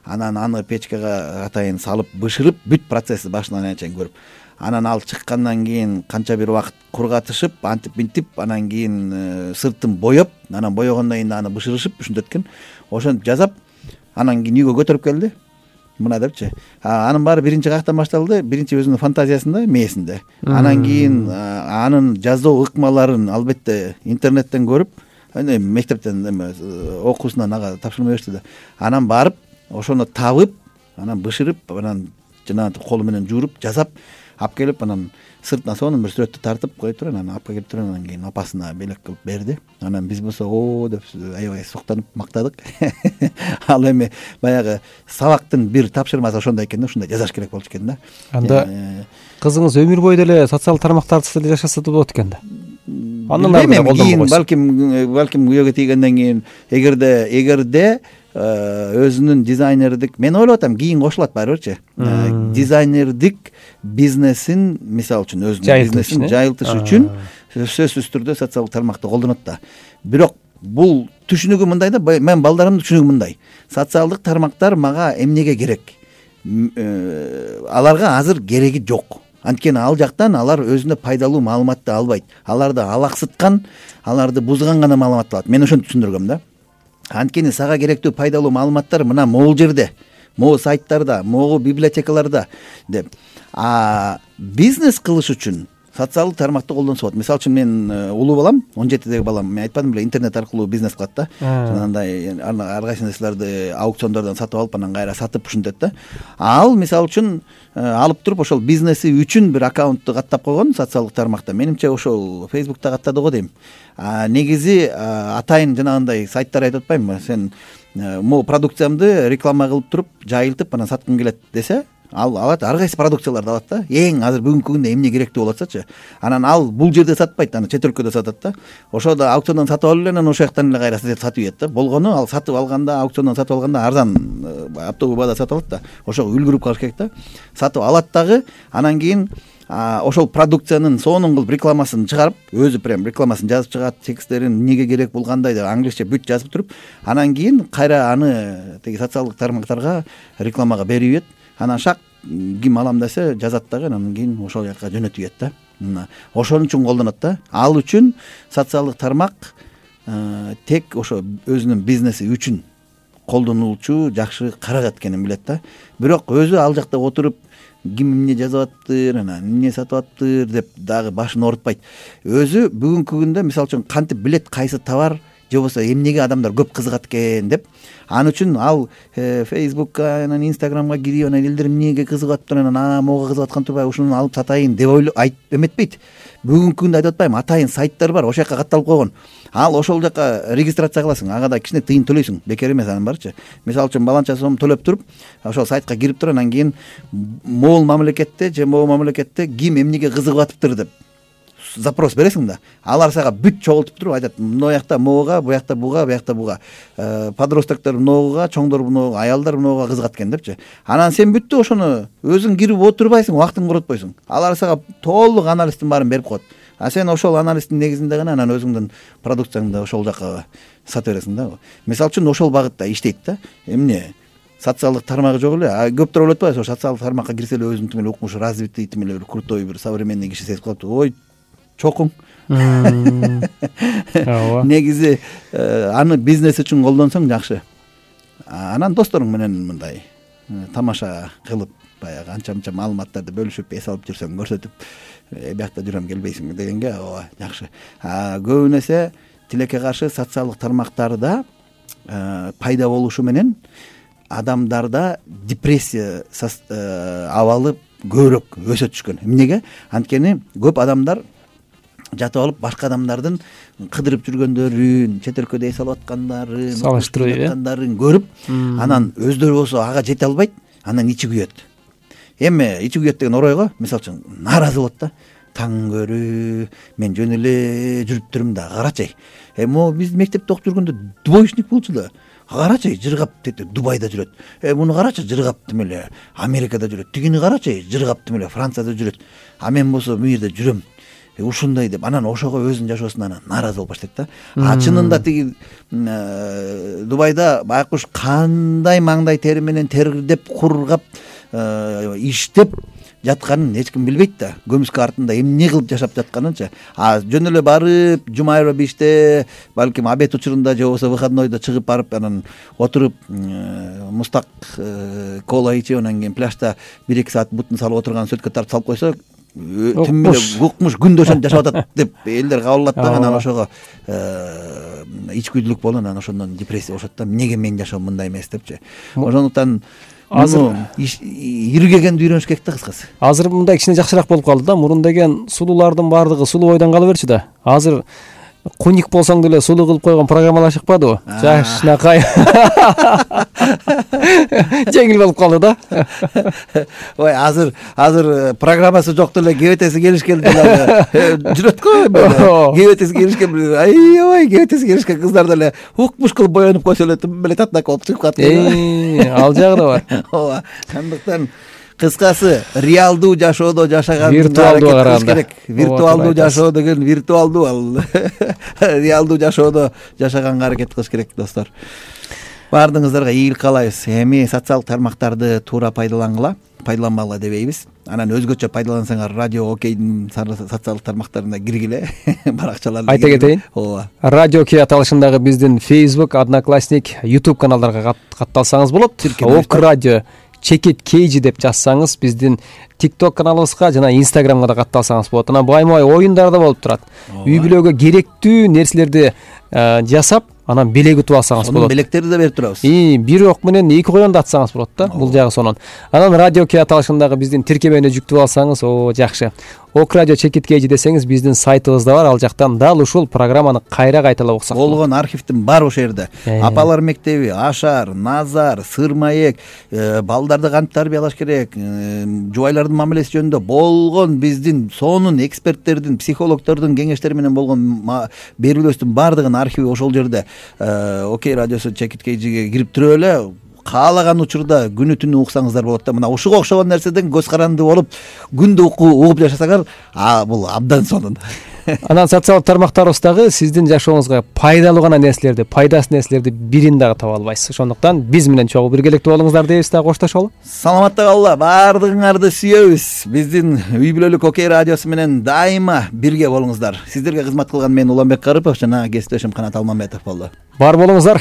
анан аны печкага атайын салып бышырып, бүт процессти башынан аяга чейин көрүп, анан ал чыккандан кийин канча бир убакыт кургатышып, антип минтип, анан кийин сыртын боеп, анан боегондон кийин аны бышырышып ушинтет экен. Ошентип жасап, анан кийин үйгө көтөрүп келди. Мына депчи. Анын баары биринчи каяктан башталды? Биринчи өзүнүн фантазиясында, мээсинде. Анан кийин анын жазуу ыкмаларын албетте интернеттен көрүп, мектептен эме окуусунан ага тапшырма беришти да. Анан барып, ошону табып, анан бышырып, анан жанагы колу менен жууруп, жасап, алып келип, анан сыртына сонун бир сүрөттү тартып коюп туруп, анан алып келип туруп, анан кийин апасына белек кылып берди. Анан биз болсо оо деп аябай соктонуп мактадык. Ал эми баягы сабактын бир тапшырмасы ошондой экен да, ушундай жасаш керек болчу экен да. Анда кызыңыз өмүр бою деле социалдык тармактарды деле жашаса да болот экен да. Андан ары кийин балким балким күйөөгө тийгенден кийин эгерде эгерде өзүнүн дизайнердик, мен ойлоп атам, кийин кошулат баары бирчи. Дизайнердик бизнесин, мисалы үчүн өзүнүн бизнесин жайылтыш үчүн сөзсүз түрдө социалдык тармакты колдонот да. Бирок бул түшүнүгү мындай да, мен балдарымдын түшүнүгү мындай. Социалдык тармактар мага эмнеге керек? Аларга азыр кереги жок. Анткени ал жактан алар өзүнө пайдалуу маалыматты албайт. Аларды алаксыткан, аларды бузган гана маалымат алат. Мен ошентип түшүндүргөм да. Анткени сага керектүү пайдалуу маалыматтар мына могул жерде, могу сайттарда, могу библиотекаларда деп. А бизнес кылыш үчүн социалдык тармакты колдонсо болот. Мисалы үчүн мен улуу балам, он жетидеги балам, мен айтпадым беле, интернет аркылуу бизнес кылат да. Жанагындай ар кайсы нерселерди аукциондордон сатып алып, анан кайра сатып ушинтет да. Ал мисалы үчүн алып туруп ошол бизнеси үчүн бир аккаунтту каттап койгон социалдык тармакта. Менимче ошол Facebook'та каттады го дейм. А негизи атайын жанагындай сайттар айтып атпаймынбы? Сен могу продукциямды реклама кылып туруп, жайылтып, анан саткың келет десе, ал алат, ар кайсы продукцияларды алат да. Эң азыр бүгүнкү күндө эмне керектүү болуп атсачы. Анан ал бул жерде сатпайт, аны чет өлкөдө сатат да. Ошондо аукциондон сатып алып эле, анан ошол жактан эле кайра сатып ийет да. Болгону ал сатып алганда, аукциондон сатып алганда арзан, оптовый баада сатып алат да. Ошого үлгүрүп калыш керек да. Сатып алат дагы, анан кийин ошол продукциянын сонун кылып рекламасын чыгарып, өзү прям рекламасын жазып чыгат, тексттерин эмнеге керек, бул кандай деп англисче бүт жазып туруп, анан кийин кайра аны теги социалдык тармактарга рекламага берип ийет. Анан шак ким алам десе жазат дагы, анан кийин ошол жака жөнөтүп ийет да. Мына ошон үчүн колдонот да. Ал үчүн социалдык тармак тек ошо өзүнүн бизнеси үчүн колдонулчу, жакшы каражат экенин билет да. Бирок өзү ал жакта отуруп ким эмне жазып аттыр, анан эмне сатып аттыр деп дагы башын оорутпайт. Өзү бүгүнкү күндө мисалы үчүн кантип билет кайсы товар же болбосо эмнеге адамдар көп кызыгат экен деп, ал үчүн ал Facebook'ка, анан Instagram'га кирип, анан элдер эмнеге кызыгып аттыр, анан а мого кызыгып аткан турбайбы, ушуну алып сатайын деп ойлоп айтып эметпейт. Бүгүнкү күндө айтып атпаймынбы, атайын сайттар бар, ошол жака катталып койгон. Ал ошол жака регистрация кыласың, ага да кичине тыйын төлөйсүң, бекер эмес анын барычы. Мисалы үчүн баланча сом төлөп туруп, ошол сайтка кирип туруп, анан кийин могул мамлекетте же могул мамлекетте ким эмнеге кызыгып атыптыр деп запрос бересиң да. Алар сага бүт чогултуп туруп айтат, мына жакта могуга, бу жакта буга, бу жакта буга. Подростоктор могуга, чоңдор могуга, аялдар могуга кызыгат экен депчи. Анан сен бүттү ошону өзүң кирип отурбайсың, убактыңды коротпойсуң. Алар сага толук анализдин баарын берип коет. А сен ошол анализдин негизинде гана анан өзүңдүн продукцияңды ошол жака сата бересиң да. Мисалы үчүн ошол багытта иштейт да. Эмне? Социалдык тармагы жок эле. А көптөр ойлоп атпайбы, ошол социалдык тармакка кирсе эле өзүнүн тим эле укмушу развитый, тим эле бир крутой, бир современный киши сезип калат. Ой, чокуң. Ооба. Негизи аны бизнес үчүн колдонсоң жакшы. Анан досторуң менен мындай тамаша кылып, баягы анча-мынча маалыматтарды бөлүшүп, эс алып жүрсөң, көрсөтүп, биякта жүрөм келбейсиңби дегенге, ооба, жакшы. А көбүн эсе тилекке каршы социалдык тармактарда пайда болушу менен адамдарда депрессия абалы көбүрөөк өсө түшкөн. Эмнеге? Анткени көп адамдар жатып алып башка адамдардын кыдырып жүргөндөрүн, чет өлкөдө эс алып аткандарын, салыштырып аткандарын көрүп, анан өздөрү болсо ага жете албайт, анан ичи күйөт. Эми ичи күйөт деген оройго, мисалы үчүн, нааразы болот да. Таң көрүү, мен жөн эле жүрүп турмун да, карачы. Эми биз мектепте окуп жүргөндө двоечник болчу да. карачы жыргап Дубайда жүрөт, э муну карачы жыргап тим эле Америкада жүрөт, тигини карачы жыргап тим эле Францияда жүрөт, а мен болсо бул жерде жүрөм ушундай деп, анан ошого өзүнүн жашоосунан нааразы болуп баштайт да. А чынында тиги Дубайда байкуш кандай маңдай тери менен тердеп кургап иштеп жатканын эч ким билбейт да. Көмүскө артында эмне кылып жашап жатканынчы. А жөн эле барып жума айрба биште балким обед учурунда же болбосо выходнойдо чыгып барып анан отуруп мустак кола ичип анан кийин пляжда бир эки саат бутун салып отурган сөткө тартып салып койсо тим эле укмуш күндө ошентип жашап атат деп элдер кабыл алат да. Анан ошого ичкүдүлүк болуп анан ошондон депрессия болушат да. Эмнеге менин жашоом мындай эмес депчи. Ошондуктан азыр иргегенди үйрөнүш керек да кыскасы. Азыр мындай кичине жакшыраак болуп калды да. Мурун деген сулуулардын баардыгы сулуу бойдон кала берчү да. Азыр куник болсоң деле сулуу кылып койгон программалар чыкпадыбы? Жакшынакай. Жеңил болуп калды да. Ой, азыр азыр программасы жок деле кебетеси келишкен деле жүрөт го. Кебетеси келишкен, ай, кебетеси келишкен кыздар деле укмуш кылып боенуп койсо эле тим эле татнак болуп чыгып калат. Э, ал жагы да бар. Ооба. Андыктан кыскасы реалдуу жашоодо жашаган виртуалдуу караганда керек. Виртуалдуу жашоо деген виртуалдуу, ал реалдуу жашоодо жашаганга аракет кылыш керек достор. Баардыгыңыздарга ийгилик каалайбыз. Эми социалдык тармактарды туура пайдалангыла, пайдаланбагыла дебейбиз. Анан өзгөчө пайдалансаңар радио окейдин социалдык тармактарына киргиле. Баракчаларды айта кетейин. Ооба. Радио Окей аталышындагы биздин Facebook, Одноклассник, YouTube каналдарга катталсаңыз болот. Ок радио Чекит Кейжи деп жазсаңыз биздин TikTok каналыбызга жана Instagramга да катталсаңыз болот. Анан байма-бай оюндар да болуп турат. Үй бүлөгө керектүү нерселерди жасап, анан белек утуп алсаңыз болот. Анын белектерди да берип турабыз. И бир ок менен эки коён да атсаңыз болот да. Бул жагы сонун. Анан радио Кей аталышындагы биздин тиркемени жүктүп алсаңыз, о жакшы. Ок радио Чекит Кейжи десеңиз биздин сайтыбыз да бар. Ал жактан дал ушул программаны кайра кайталап окусак болот. Болгон архивдин баары ошол жерде. Апалар мектеби, Ашар, Назар, Сырмаек, балдарды кантип тарбиялаш керек, жубайлардын мамилеси жөнүндө болгон биздин сонун эксперттердин, психологдордун кеңештери менен болгон берүүлөрүбүздүн баардыгынын архиви ошол жерде. Окей радиосу Чекит Кейжиге кирип туруп эле каалаган учурда күнү түнү уксаңыздар болот да. Мына ушуга окшогон нерседен көз каранды болуп күндү угуп жашасаңар, а бул абдан сонун. Анан социалдык тармактарыбыздагы сиздин жашооңузга пайдалуу гана нерселерди, пайдасыз нерселерди бирин дагы таба албайсыз. Ошондуктан биз менен чогуу биргеликте болуңуздар дейбиз да, коштошолу. Саламатта калгыла, баардыгыңарды сүйөбүз. Биздин үй бүлөлүк Окей радиосу менен дайыма бирге болуңуздар. Сиздерге кызмат кылган мен Уланбек Карыпов жана кесиптешим Канат Алмамбетов болду. Бар болуңуздар.